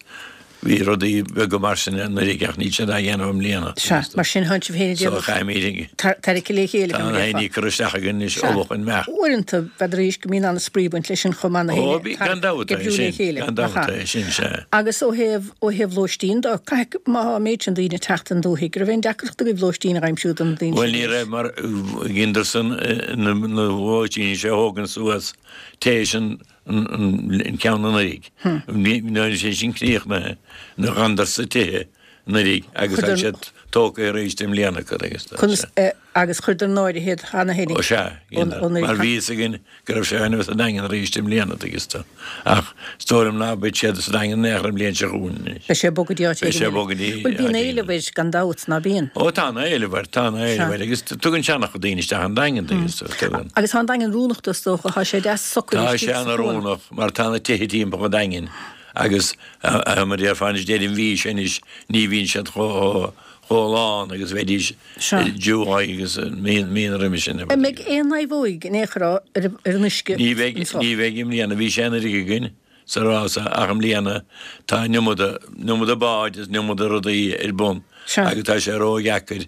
Bhí rudaí beaga mar sin anuraidh ach níl siad á dhéanamh i mbliana. Sea, mar sin tánn sibh féin ag So déanamh caithfimid ag. tarraic le chéile Tá go an mbeifeá. éiní curtha isteach againn anois Sea. ubh chun meath. Uaireanta, b'fhéidir arís go mbíonn an-spraoi ag baint leis sin chomh maith na Ó, héinne bí, gan tarrac dabht ag é oibriú le sin, chéile, gan nach dabht ea? é sin, sea. Agus ó thaobh, ó thaobh lóistín de, caithfidh, má tá an méid sin daoine ag teacht ón dúthaigh, go raibh aon deacracht agaibh lóistín a aimsiú do na daoine Bhuel, sin ní arís? raibh mar dheineadar-san na, na lóistíní seo a thógaint suas téis an, an ceann anuraidh. Nuair a bhí sé sin críochnaithe, na ghanadar sa tithe anuraidh agus tá siad tógtha arís i mbliana acu agus tá sé. Agus chuireadar in áirithe iad cheana féin. Ó sea, mar bhí fhios againn go raibh sé chun a bheith sa Daingean arís i mbliana tuigeann tú. Ach is dóigh liom ná beidh siad sa Daingean in aon chor an bhliain seo chugainn anois. Beidh sé ag bogadh dtí áit Beidh éigin sé ag eile. bogadh dtí Bhuel bíonn áit éigin éileamh eile. air gan dabht, ná bíonn? Ó tá ana éileamh air, tá ana éileamh air agus tugann sé ana-chuid daoine isteach an Daingean tuigeann tú, tugann. Agus tá an Daingean oiriúnach dó is dócha, tá sé deas socair Tá istigh sé sa ana chuan. oiriúnach mar tá na tithe timpeall an Daingin agus mar a déarfá anois deireadh an mhí seo anois ní bhíonn siad chomh chomh lán agus bheidís Sea. July agus mí míonna roimhe sin. An mbeidh aon naomhóig in aon chor ar an uisce Ní bheidh, anseo? ní bheidh i mbliana, bhí sé anuraidh againn sa rása ach i mbliana tá an iomada, an iomada báid is an iomada rudaí ar bun Sea. agus tá sé ródheacair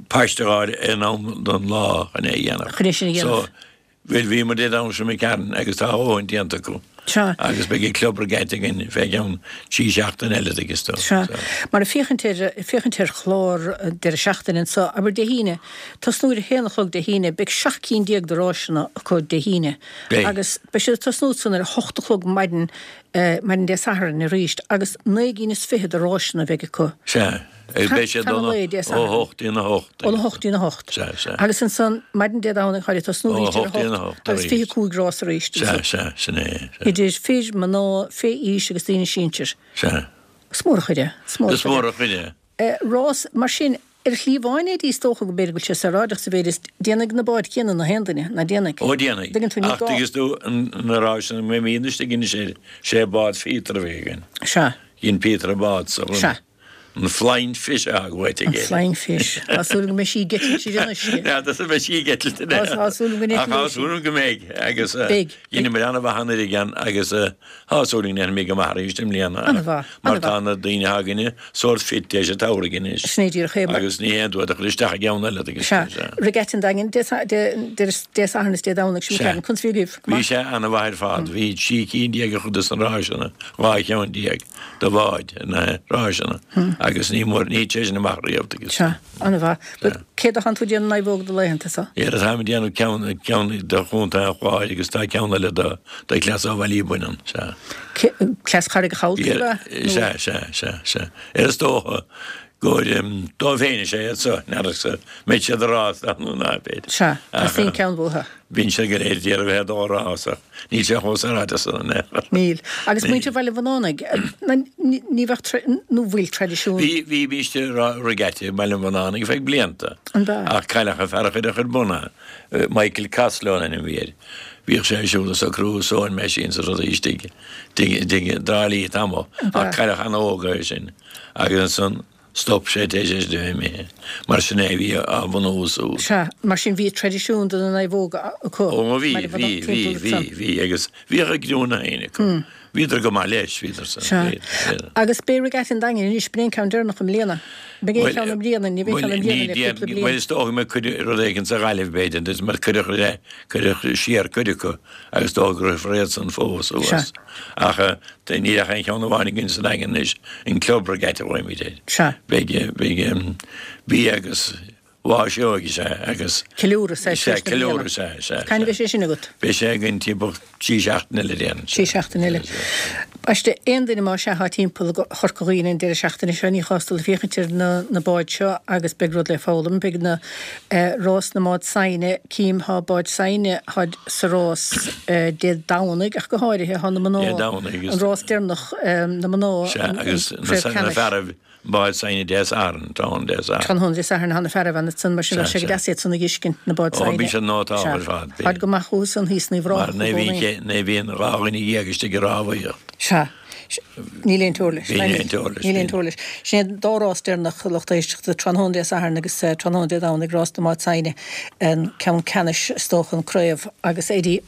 paiste a fháil in am don lá chun é a dhéanamh. Chun é sin a dhéanamh. So, bhuel bhí muid ar Aillte McCarron agus tá a dhóthain déanta acu. Sea. Agus beidh an club regatta againn fé cheann trí seachtaine eile tuigeann tú. Sea. Mar ag féachaint ar, ag féachaint ar chlár deireadh seachtaine anso, abair Dé hAoine, tosnú ar a haon a chlog Dé hAoine, beidh 17 cinn de ráiseanna acu Dé hAoine. Beidh. Agus beidh siad ag tosnú ansan ar a hocht a chlog maidin. Maidin Dé Sathairn arís agus 9 gcinn is fichead de ráiseanna a bheidh acu. Sea, agus beidh siad Fan an lae, Dé ó Sathairn. 8 dtí'n 8. Óna 8 dtí'n 8. Sea, sea. Agus ansan, maidin Dé Domhnaigh, tháid ag tosnú Ó arís ar 8 dtí'n 8 8 agus arís. 25 rás arís Sea, ansan. sea, sin é, sea. Idir fir, mná, fé aois agus daoine sinsir. Sea. Is mór an chuid é. Is mór an Is chuid é. mór an chuid é. Rás mar sin, ar shlí amháin é is dócha go mb'fhéidir go bhfuil sé saoráideach sa mhéid is déanfaidh na báid chéanna na haon duine, ná déanfaidh? Ó déanfaidh. Dtuigeann tú, ní Ach gá. tuigeann tú na ráiseanna mbeimíd istigh anois ar sé bád Phíotair a bhí againn. Sea. Dhein Peter an bád so. Sea. An Flying Fish a thug uait An aige. Flying Fish. Tá súil go mbeidh sí ag eitilt ar an uisce. N'fheadar an mbeidh sí ag eitilt in aon. Tá súil go Ach tá n-eitleoidh sí. súil go mbeidh agus Beidh. dheineamar an-mhaith anuraidh ann agus Tá súil go ndéanfaimid go maith arís i mbliana An-mhaith, mar an-mhaith. tá na daoine atá againne sórt fit théis an tsamhraidh anois Sin é díreach é. agus ní haon dua a chur isteach i gceann eile agus Sea. sea. Regatta an Daingin, Dé Dé Sathairn is Dé Domhnaigh sin Sea. ceann. Conas bhí agaibh? Go Bhí maith? sé an-mhaith ar fad. Bhí 13 cinn a chuid dos na ráiseanna, 12 cheann de bháid na ráiseanna agus ní mór, ní thit sé sin amach riamh agus. Sea. An-mhaith. Bhuel, céard atánn tú ag déanamh naomhóg do laethanta so? Éard atáim ag déanamh ceann, ceann do Chontae an Chláir agus tá ceann eile do, do Cleas ó Bhaile Bhuinneáin, sea. Cleas Charraig an Chabhaltaigh, ab ea? Nó. Sea, sea, sea, sea. Ar is dócha gur dóibh féin is ea iad so, n'fheadar an mbeidh siad ag rás nó ná beidh. Sea, teastaíonn ceann uathu. Bíonn siad go léir ag iarraidh bheith ag dul rás ach níl sé chomh saoráideach san in aon chor. Níl. Agus muintir Bhaile Bhunánaigh, ní bheadh, nó bhfuil traidisiún. Bhí, bhí, bhí regatta i mBaile an Bhunánaigh feadh blianta. An b'ea? Ach cailleadh an fear a chuir ar bun é, Michael Costello an ainm a bhí air. Bhíodh sé ag siúl ag socrú sewing machines is rudaí istigh i dTrá Lí tamall ach cailleadh an-óg é sin agus ansan Stop sé tar éis é a bheith imithe. Mar sin é a bhí á bhunú suas. Sea, mar sin bhí traidisiún de na naomhóga acu. Ó bhí, bhí, bhí, bhí, bhí, agus bhíodh a gcriúnna féin acu. Bhíodar go maith leis, bhíodar san. Sea. Agus beidh Regatta an Daingin anois, b'in é an ceann deireanach i mbliana. Beidh aon cheann i mbliana, ní bheidh ceann i mbliana le cúpla bliain. Bhuel, is dócha go mbeidh cuid, rud éigin sa Ghaillimh b'fhéidir, mar cuireadh, cuireadh siar cuid acu agus is dócha go rithfear iad san fós suas. Ach níl ach aon cheann amháin againn sa Daingean anois, an Club Regatta a ghlaoimid air. Sea. Beidh, beidh bia agus mháiseog is ea agus. Ceiliúradh, sea, Sea, tar éis na bliana. ceiliúradh, sea, sea, Cathain a sea. bheidh sé sin agat? Beidh sé againn timpeall trí seachtaine eile déarfainn. Trí seachtaine eile. Baiste, aon duine más ea atá timpeall Chorca Dhuibhne an deireadh seachtaine seo, ní chás dul ag féachaint ar na na báid seo agus beidh rud le foghlaim. Beidh na rás na mbád saighne, cím thá báid saighne, tháid sa rás Dé Domhnaigh ach go háirithe thá na mná, Dé Domhnaigh agus. an rás deireanach na mná, Sea, an agus craobh na ceannais. fearaibh báid saighne Dé Sathairn, tráthnóna Dé Sathairn. Tráthnóna Dé Sathairn thá na fearaibh ann ansan mar sin Sea, bheadh sé go sea. deas iad san a dh'fheiscint, na báid Ó, saighne. bíonn siad nótálta Sea, ar fad, tháid bíonn. go maith chucu san thíos in Uíbh Mar Ráthach i ní gcónaí. bhíonn, ní bhíonn 12 dhuine istigh ag rámhaíocht. Sea. Níl aon teora leis. Níl aon teora leis. Níl aon teora leis. Sin é an dá rás deireanach, lucht éisteachta, tráthnóna Dé Sathairn agus tráthnóna Dé Domhnaigh, rás na mbád saighne, an ceann ceannais, is dócha, an craobh agus Eddie,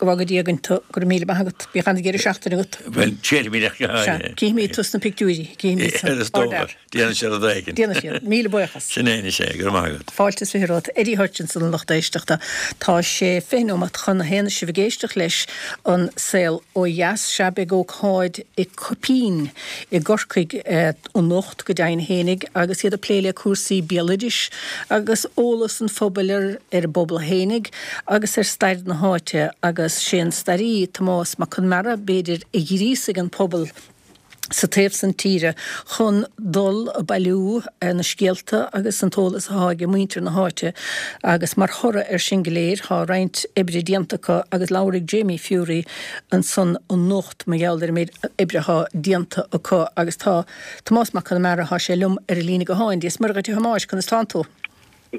go bhfága Dia againn tú, go raibh míle maith agat. Bíodh an-deireadh seachtaine agat. Bhuel, tséirfimid ach go Sea, háirithe. cífimid tú sna pictiúirí, cífimid tú. Is dócha, déanfaidh siad rud éigin. Déanfaidh siad. Míle buíochas. Sin é anois é, go raibh maith agat. Fáilte is 20 romhat. Eddie Hutchinson, a lucht éisteachta. Tá sé 20 nóimeat chun a haon is sibh ag éisteacht leis an Saol Ó Dheas. Sea, beidh ócáid i Coipín i gCorcaigh anocht go deimhin fhéinig agus iad ag plé le cúrsaí béaloidis agus eolas an phobail ar ar an bpobal fhéinig agus ar stair na háite agus sé an staraí Tomás Mac Conmara b'fhéidir a ghríosaigh an pobal sa taobh san tíre chun dul a bailiú na scéalta agus an t-eolas athá ag muintir na háite agus mar thoradh ar sin go léir thá roinnt oibre déanta acu agus labharfaidh Jamie Furey ansan anocht mar gheall ar an méid oibre athá déanta acu agus tá Tomás Mac Conmara thá sé liom ar an líne gutháin. Dia is Muire dhuit a Thomáis, conas tánn tú?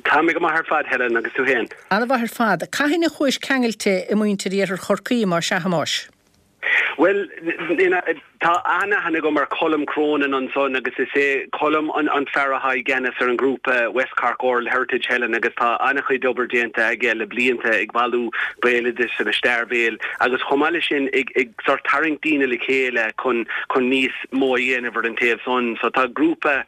Tá mé go maith ar fad, Helen, agus tú féin? Ana-mhaith ar fad. Cathain a chuais ceangailte i muintir Iarthar Chorcaí, más ea, a Thomáis? Bhuel, tá an-aithne agam ar Colm Cronin ansan agus is é Colm an fear atá i gceannas ar an ghrúpa West Cork Oral Heritage, Helen, agus tá an-chuid obair déanta aige le blianta ag bailiú béaloidis agus stair bhéil agus chomh maith leis sin ag sort tarraingt daoine le chéile chun chun níos mó a dhéanamh ar an taobh san. So tá grúpa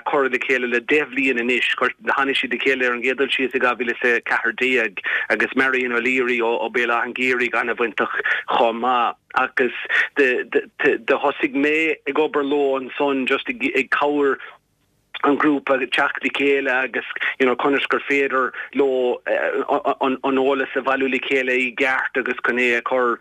curtha le chéile le 10 bhliain anois. Tháinig siad le chéile ar an gcéad dul síos i 2014 agus Marion O'Leary ó Béal Átha an Ghaorthaidh an-bhainteach chomh maith. Agus do thosaigh mé ag obair leo ansan just ag cabhair. An grúpa teacht le chéile agus you know conas gur féidir leo an eolas a bhailiú le chéile i gceart agus chun é a chur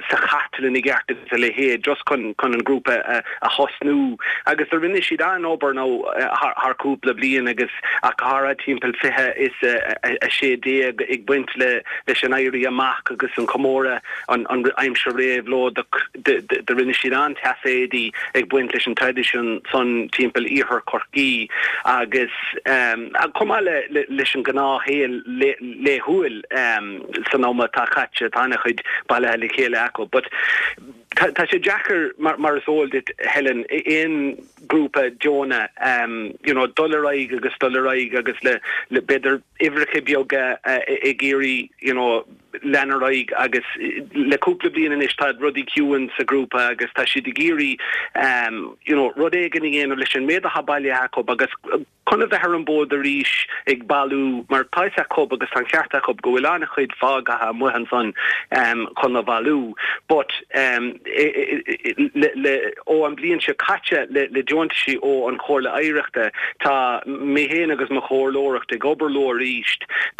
sa chartlann i gceart agus a leithéid just chun chun an grúpa a thosnú. Agus do rinne siad an-obair now thar cúpla bliain agus ach go háirithe timpeall 20 is 16 ag baint le leis an Éirí Amach agus an comóradh an aimsir réabhlóideach. Do rinne siad an-taiféadaí ag baint leis an traidisiún san timpeall iarthar Chorcaí agus chomh maith leis an gnáthshaol laethúil san am atá caite tá an-chuid bailithe le chéile acu. But tá sé deacair mar is eol duit Helen aon grúpa deonach you know dul ar aghaidh agus dul ar aghaidh agus le b'fhéidir uimhreacha beaga ag iarraidh you know lean ar aghaidh agus le cúpla bliain anois tá rudaí ciúin sa ghrúpa agus tá siad ag iarraidh you know rud éigin a dhéanamh leis an méid atá bailithe acu agus chun a bheith ar an bhfód arís ag bailiú mar tá fhios acu agus tá an ceart acu go bhfuil an-chuid fágtha amuigh ansan chun a bhailiú but le le ó an bliain seo caite le le deontaisí ó an Chomhairle Oidhreachta tá mé féin agus mo chomhairleoireacht ag obair leo arís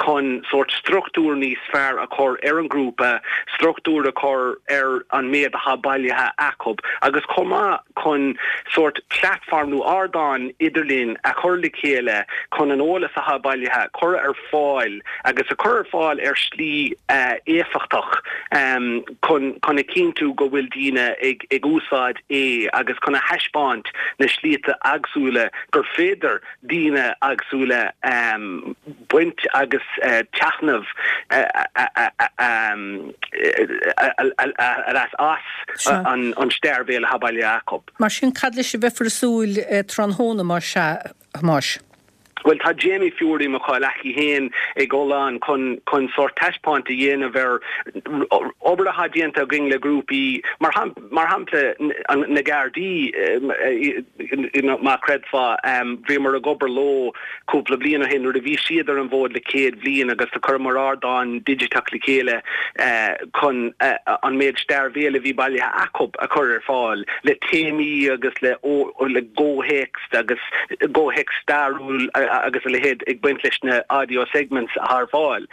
chun sórt struchtúr níos fearr a chur ar an ghrúpa, struchtúr a chur ar an méid atá bailithe acu agus chomh maith chun sórt platform nó ardán idirlín a chur le chéile chun an eolas atá bailithe a chur ar fáil agus a chur ar fáil ar shlí éifeachtach chun chun a chinntiú go bhfuil daoine ag ag úsáid é agus chun a thaispeáint na slíte eagsúla gur féidir daoine eagsúla baint agus taitneamh a leas as an stair bhéil atá bailithe acu. Mar sin, cad leis a bheifear ag súil tráthnóna, más ea, a Thomáis? Bhuel, tá Jamie Furey, mo chomhleacaí féin, ag dul ann chun chun sórt taispeáint a dhéanamh ar obair atá déanta againn le grúpaí, mar Mar shampla, na Gardaí, má chreidfeá, bhíomar ag obair leo cúpla bliain ó shin nuair a bhí siad ar an bhfód le 100 bliain agus do chuireamar ardán digiteach le chéile chun an méid stair bhéil a bhí bailithe acu a chur ar fáil le téamaí agus le gcomhthéacs agus gcomhthéacs stairiúil agus a leithéid ag baint leis na audio segments atá ar fáil.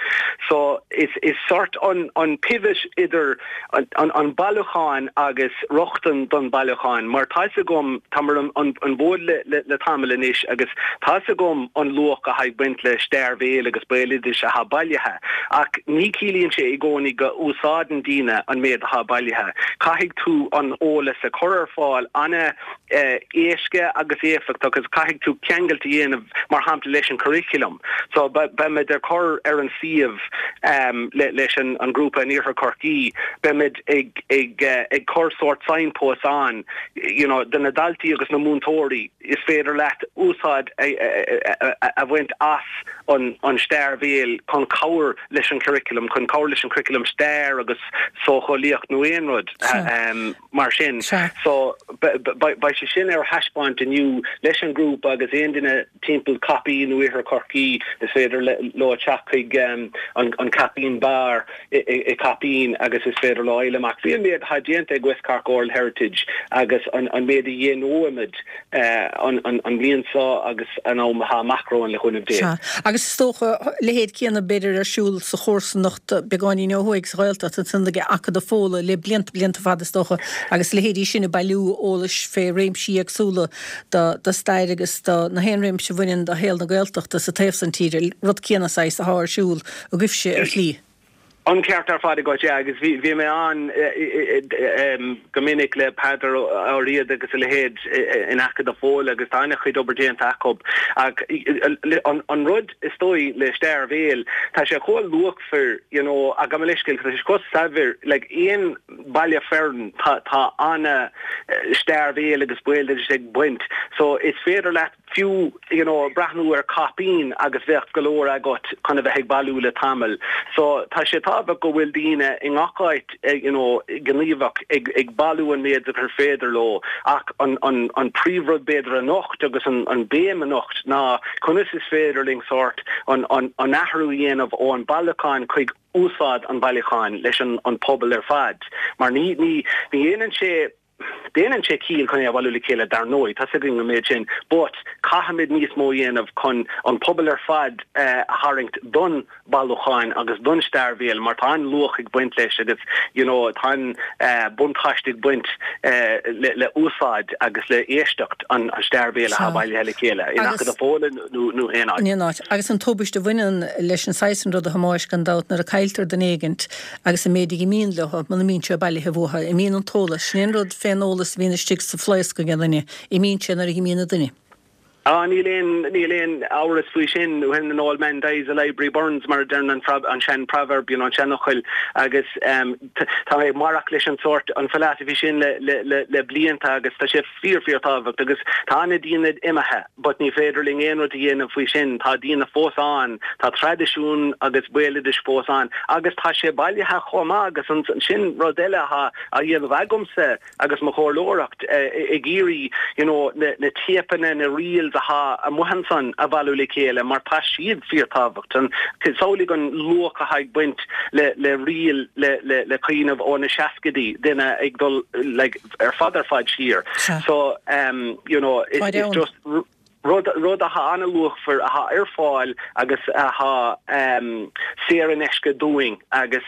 So is sort an pivot idir an bailiúchán agus rochtain don bailiúchán mar tá fhios agam, táim ar an bhfód le tamall anois agus tá fhios agam an luach atá ag baint le stair bhéil agus béaloidis atá bailithe ach ní ciallaíonn sé i gcónaí go úsáideann daoine an méid atá bailithe. Caithfidh tú an eolas a chur ar fáil ana éasca agus éifeachtach agus caithfidh tú ceangailt a dhéanamh mar shampla leis an curriculum. So beimid ag cur ar an suíomh leis an grúpa in Iarthar Chorcaí, beimid ag ag ag cur sórt signposts ann you know do na daltaí agus na múinteoirí is féidir leat úsáid a bhaint as an an stair bhéil chun cabhair leis an curriculum, chun cabhair leis an curriculum stair agus socheolaíocht nó aon rud. Mar sin, so, beidh sé sin ar thaispeáint inniu leis an ghrúpa agus aon duine timpeall Caipín nó Iarthar Chorcaí, is féidir leo teacht chuig an Caipín Bar i Caipín agus is féidir leo fháil amach faoi an méid atá déanta ag West Cork Oral Heritage agus an méid a dhéanfaimid an bhliain seo agus an am atá amach romhainn le cúnamh Dé. Sea. Agus is dócha, a leithéid céanna b'fhéidir ar siúl sa chomharsanacht beagáinín ó thuaidh sa Ghaeltacht ansan ag Acadamh Fódhla le blianta, blianta fada is dócha agus a leithéidí sin ag bailiú eolais fé réimsí éagsúla do stair agus do na haon réimse a bhaineann do shaol na Gaeltachta sa taobh san tíre. Rud céanna saghas athá ar siúl agaibhse ar shlí. An ceart ar fad agat, yeah, agus bhí bhí mé ann go minic le Peadar Ó Riada agus a leithéid in Acadamh Fódhla agus tá an-chuid obair déanta acu ach an rud is dóigh le stair bhéil, tá sé chomh luachmhar, you know, ach gabh mo leithscéal, tá sé chomh saibhir, like aon baile fearainn tá tá ana stair bhéil agus béaloidis ag baint so is féidir leat fiú you know breathnú ar caipín agus bheadh go leor agat chun a bheith ag bailiú le tamall. So tá sé tábhachtach go bhfuil daoine i ngach áit you know gníomhach ag ag bailiú an méid gur féidir leo ach an an an príomhrud b'fhéidir anocht agus an an béim anocht ná conas is féidir linn sórt an an an athrú a dhéanamh ó an bailiúchán chuig úsáid an bhailiúcháin leis an an pobal ar fad mar ní ní ní dhéanann sé. Déanann sé ciall chun é a bhailiú le chéile dar ndóigh, tá's againn an méid sin, but caithfimid níos mó a dhéanamh chun an pobal ar fad a tharraingt don bailiúcháin agus don stair bhéil mar tá an-luach ag baint leis agus you know tá an-buntáiste ag baint le le úsáid agus le éisteacht an stair bhéil atá bailithe le chéile in Acadamh Fódhla nó nó aon áit. In aon áit. Agus an tubaiste a bhaineann leis an saghas sin ruda a Thomáis gan dabht nuair a cailltear duine éigint agus an méid a imíonn leo muna mbíonn sé bailithe uathu, imíonn an t-eolas, sin é an rud fén eolas a bhíonn istigh sa phlaosc ag an duine, imíonn sé nuair a imíonn an duine. Ah, níl aon, níl aon amhras faoi sin, when an old man dies the library burns mar a deireann an an sean proverb, you know, an seanfhocal agus ehm tá mé ag maireacht leis an sórt, an philosophy sin le, le, le, le blianta agus tá sé fíor, fíor tábhacht agus tá ana daoine imithe but ní féidir linn aon rud a dhéanamh faoi sin, tá daoine fós ann, tá traidisiún agus béaloidis fós ann agus tá sé bailithe chomh maith agus an, sin rud eile atá á dhéanamh agamsa. agus mo chomhairleoireacht ag iarraidh you know na téipeanna, na reels atá amuigh ansan a bhailiú le chéile mar tá siad fíorthábhachtach. Samhlaigh an luach atá ag baint le le reel le le le cuimhneamh ó na seascaidí, duine ag dul like ar fad ar fad siar. So um you know it's just rud rud atá an-luachmhar, atá ar fáil agus atá saor in aisce dúinn agus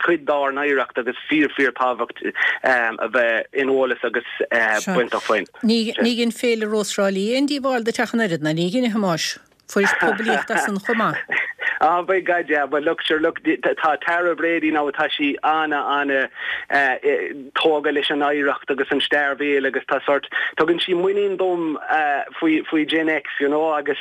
cuid dár n-oidhreacht agus fíor fíor tábhacht a bheith in eolas agus bainteach faoin. Ní dhein Féile Rós Thrá Lí aon díobháil do Teach an Oiread, ná ní dhein, a Thomáis? Fuairis poiblíocht as san chomh maith. Ah by God yeah, but look sure look tá Tara Brady now tá sí ana ana tógtha leis an oidhreacht agus an stair bhéil agus tá sort tugann sí muinín dom faoi faoi Gen X you know agus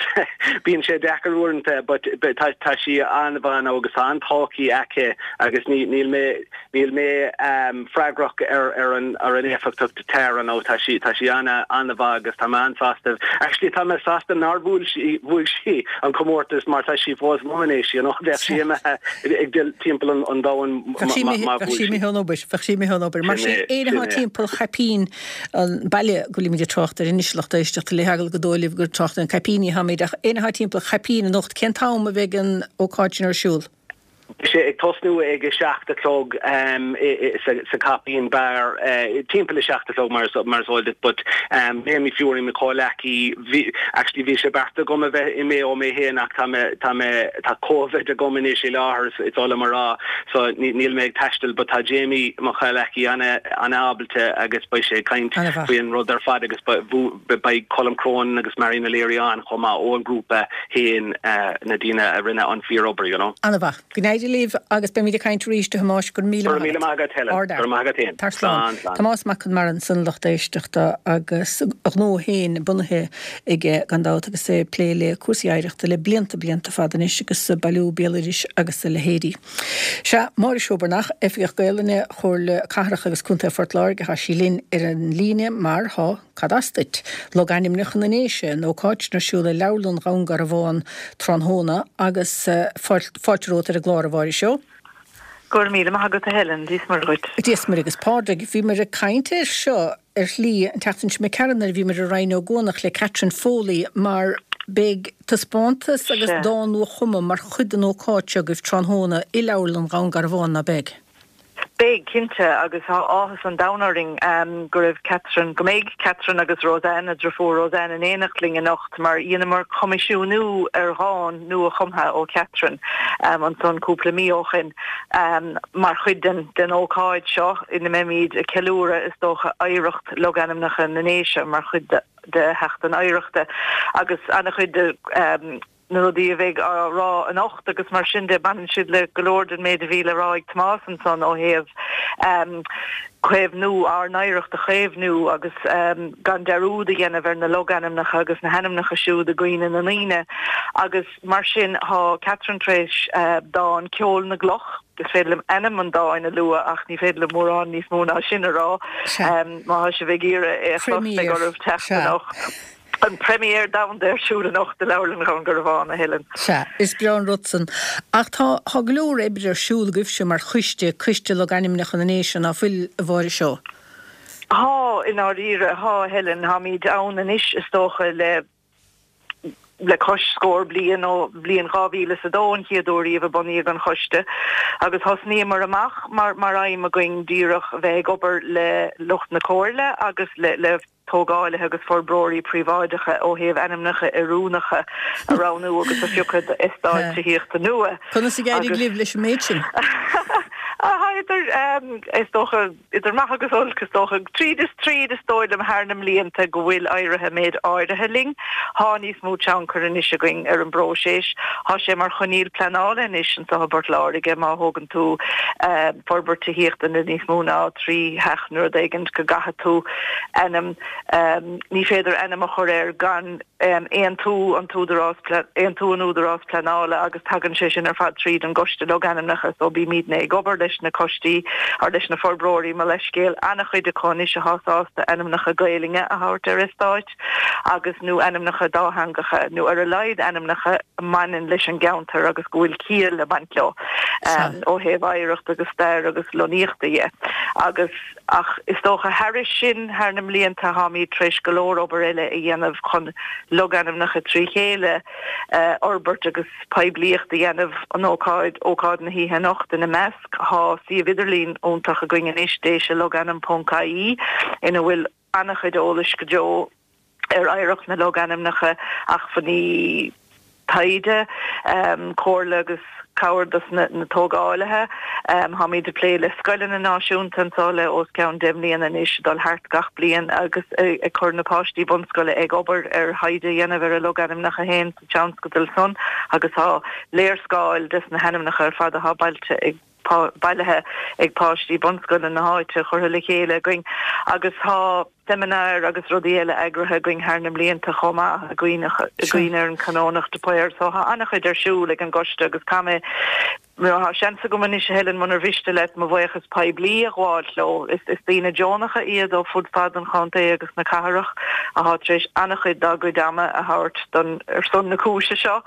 bíonn sé deacair uaireanta but tá tá sí an-mhaith now agus tá an-tacaí aici agus ní níl mé Níl mé freagrach ar ar an ar an éifeachtacht Tara now tá sí tá sí ana ana-mhaith agus tá mé an-sásta actually tá mé sásta nár bhuail sí bhuaigh sí an comórtas mar tá sí fós liom anois you know bheadh sí imithe ag dul timpeall an an domhain Bheadh sí imithe bheadh sí imithe ón obair bheadh sí imithe ón obair. Mar sin éinne atá timpeall Chaipín an baile go bhfuilimid ag trácht air anois lucht éisteachta le heagla gur dóigh libh gur trácht ar na Caipíní atáimid ach éinne atá timpeall Chaipín anocht cén t-am a bheidh an ócáid sin ar siúl? Beidh sé ag tosnú ag 7 a chlog sa Caipín Bar, timpeall a 7 a chlog mar is eol duit, but Jamie Fury, mo chomhleacaí, bhí, actually bhí sé beartaithe agam a bheith i Maigh Eo mé féin ach tá mé, tá mé, tá Covid agam anois i láthair, is oth liom a rá, so níl mé ag taisteal, but tá Jamie, mo chomhleacaí, an-ábalta agus beidh sé ag caint faoin rud ar fad agus beidh Colm Cronin agus Marion O'Leary ann chomh maith ón ngrúpa. féin na daoine a rinne an fíor-obair, you know. Ana-mhaith. Go n-éirí libh agus beimid ag caint arís, a Thomáis. Go raibh míle maith agat. Go raibh míle maith agat, Helen. Ard Go raibh maith agat féin. Tar slán. Slán. Tomás Mac Conmara ansan, lucht éisteachta agus a ghnó féin bunaithe aige gan dabht agus é ag plé le cúrsaí oidhreachta le blianta blianta fada anois agus bailiú béaloidis agus a leithéidí. Sea, Máire Seoibearnach, Oifigeach Gaelainne Chomhairle Cathrach agus Contae Phort Láirge, tá sí linn ar an líne mar tá. Cad as duit? Logainmneacha na nDéise, an ócáid sin ar siúl i Leabharlann Dhún Garbhán tráthnóna agus fáilte romhat ar an gclár, a Mháire Seó. Go raibh míle maith agat a Helen, Dia is Muire dhuit. Dia is Muire agus Pádraig. Bhíomar ag caint air seo ar shlí an tseachtain seo imigh tharainn nuair a bhíomar i Rinn Ó gCuanach le Catherine Foley mar beidh taispeántas agus dán nua-chumtha mar chuid den ócáid seo agaibh tráthnóna i Leabharlann Dhún Garbhán, ná beidh? Beidh, cinnte, agus tá áthas an domhain orainn go raibh Catherine, go mbeidh Catherine agus Roseanne, a driofúr Roseanne, in éineacht linn anocht mar dheineamar coimisiúnú ar dhán nua-chumtha ó Catherine ansan cúpla mí ó shin mar chuid den den ócáid seo ina mbeimid ag ceiliúradh, is dócha, oidhreacht logainmneacha na nDéise mar chuid de Sheachtain Oidhreachta agus an-chuid de na rudaí a bheidh á rá anocht agus mar sin de, baineann siad le go leor den méid a bhí le rá ag Tomás ansan ó thaobh caomhnú, ár n-oidhreacht a chaomhnú agus gan dearúd a dhéanamh ar na logainmneacha agus na hainmneacha siúd i gcuimhne na ndaoine. Agus mar sin tá Catherine tar éis dán Ceol na gCloch, is féidir liom ainm an dáin a lua ach ní féidir liom mórán níos mó ná sin a rá, má tá sibh ag iarraidh é a chlos beidh oraibh teacht anocht. An premiere domhanda ar siúl anocht i Leabharlann Dhún Garbhán, a Helen. Sea, is breá an rud san. Ach tá, tá go leor oibre ar siúl agaibhse mar choiste, Coiste Logainmneacha na nDéise, ná fuil, a Mháire Seó? Tá, i ndáiríre, tá, a Helen. Táimid ann anois, is dócha, le. le cois scór bliain, ó bhliain 2002 an chéad uair riamh a bunaíodh an choiste, agus thosnaíomar amach mar mar aidhm againn díreach a bheith ag obair le lucht na comhairle agus le le tógáilithe agus forbróirí príobháideacha ó thaobh ainmneacha oiriúnacha a roghnú agus a phiocadh d'eastáit tithíochta nua. Conas a d'éirigh libh leis an méid sin? Idir, is dócha, idir maith agus olc, is dócha. Tríd is tríd, is dóigh liom, thar na mblianta go bhfuil éirithe méid áirithe linn. Thá níos mó tionchair anois againn ar an bpróiseas. Thá sé mar choinníoll pleanála anois anseo i bPort Láirge má thógann tú forbairt tithíochta le níos mó ná 3 theach nó rud éigint go gcaithfidh tú ainm, ní féidir ainm a chur air gan aontú an t-údarás, aontú an údarás pleanála agus tagann sé sin ar fad tríd an gCoiste Logainmneacha so bímidne ag obair leis na coistí or leis na forbróirí, mo leithscéal, an-chuid acu anois athá sásta ainmneacha Gaelainne a thabhairt ar eastáit agus nó ainmneacha dátheangacha nó ar a laghad ainmneacha a mbaineann leis an gceantar agus go bhfuil ciall ag baint leo ó thaobh oidhreacht agus stair agus lonnaíochta dhe agus ach is dócha thairis sin thar na mblianta tháimid tar éis go leor obair eile a dhéanamh chun logainmneacha trí chéile a fhorbairt agus poiblíocht a dhéanamh an ócáid, ócáid na hoíche anocht ina measc. Thá suíomh idirlín iontach againn anois, déiselogainm ponc ie, ina bhfuil an-chuid eolais go deo ar oidhreacht na logainmneacha, acmhainní taighde, comhairle agus cabhair dos na tógálaithe. Táimid ag plé le scoileanna náisiúnta anseo le os cionn 10 mbliana anois, ag dul thart gach bliain agus ag cur na páistí bunscoile ag obair ar thaighde a dhéanamh ar a logainmneacha féin sa tionscadal san agus tá léarscáil des na hainmneacha ar fad atá bailte ag bailithe ag páistí bunscoile na háite curtha le chéile againn agus tá seimineáir agus rudaí eile eagraithe againn thar na mblianta chomh maith i gcuimhne ar an Canónach de Paor. So tá an-chuid ar siúl ag an gcoiste agus caithfidh mé, tá seans agam anois a Helen munar mhiste leat mo bhuíochas poiblí a ghabháilt leo. Is daoine deonacha iad ó fud fad an chontae agus na cathrach atá tar éis an-chuid dá gcuid ama a thabhairt don ar son na cúise seo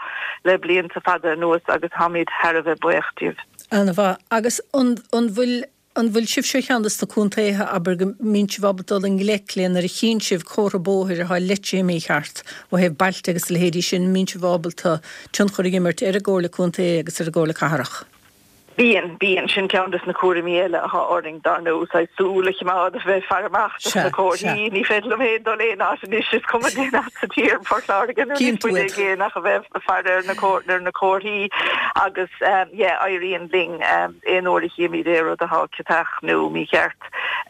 le blianta fada anuas agus táimid thar a bheith buíoch díobh. An-mhaith. Agus an bhfuil, an bhfuil sibhse ar cheann de na contaetha, abair, go mbíonn sibh ábalta dul i ngleic le nuair a chíonn sibh comhartha bóthair atá leite mícheart ó thaobh bailte agus a leithéidí sin, an mbíonn sibh ábalta tionchar a imirt ar an gComhairle Contae agus ar an gComhairle Cathrach? Bíonn, bíonn. Sin ceann des na cúraimí eile athá orainn, dar ndóigh, saghas súil a chimeád, a bheith ag faire amach dos na comharthaí. Ní féidir liom féin dul aon áit anois, is cuma cén áit sa tír, Port Láirge nó níos faide i gcéin ach a bheith ag faire ar na ar na comharthaí agus yeah, éiríonn linn aon uair a chímid aon rud athá ciotach nó mícheart,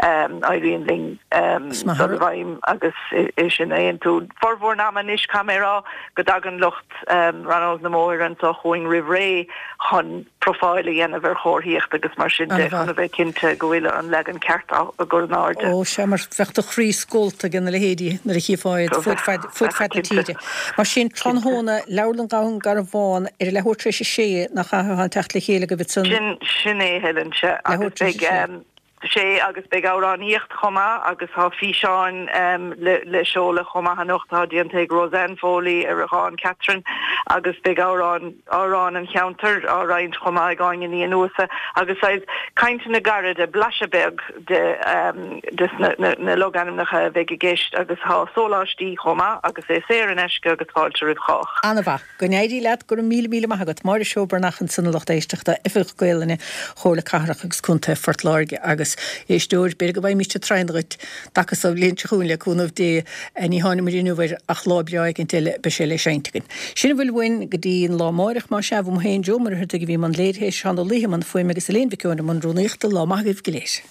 éiríonn linn dul i bhfeidhm agus é sin a aontú. Formhór an ama anois, caithfidh mé a rá, go dtagann lucht Rannóg na mBóithre anseo chugainn roimh ré chun profáil a dhéanamh ar chomharthaíocht agus mar sin de chun a bheith cinnte go bhfuil an leagan ceart á gcur in airde. Ó sea, mar bheadh do chroí scólta ag na leithéidí nuair a chífeá iad fud fad fud fad na tíre. Mar sin, tráthnóna, Leabharlann Dhún Garbhán ar a leathuair tar éis a sé, nach ea, atá an teacht le chéile agaibh ansan? Sin, sin é, Helen, sea. Leathuair tar éis a sé. Sea, agus beidh amhránaíocht chomh maith agus tá físeáin le seoladh chomh maith anocht atá déanta ag Roseanne Foley ar dhán Catherine agus beidh amhráin, amhráin an cheantair á roinnt chomh maith ag Áine Ní Fhionnúsa agus saghas cainteanna gairide, blaiseadh beag de des na logainmneacha a bheidh i gceist agus tá sóláistí chomh maith agus é saor in aisce agus fáilte roimh chách. An-mhaith. Go n-éirí leat, go raibh míle míle maith agat. Máire Seó Breathnach ansan a lucht éisteachta, Oifigeach Gaolainne Chomhairle Cathrach agus Contae Phort Láirge agus éisteoir, b'fhéidir go bhfaighimíst tráthnóna dhuit dtaca so an bhliain seo chugainn le cúnamh Dé. Ní tháinigh inniu air ach lá breá éicint eile beidh sé le seinnt againn. Sin a bhfuil uainn go dtí an lá amáireach más ea, uaim féin Joe Ó Muircheartaigh a bhí i mbun léirithe, Seán Ó Laoithe i mbun fuaime agus Elaine Mhic Eoin i mbun rúnaíochta. Lá maith agaibh go léir.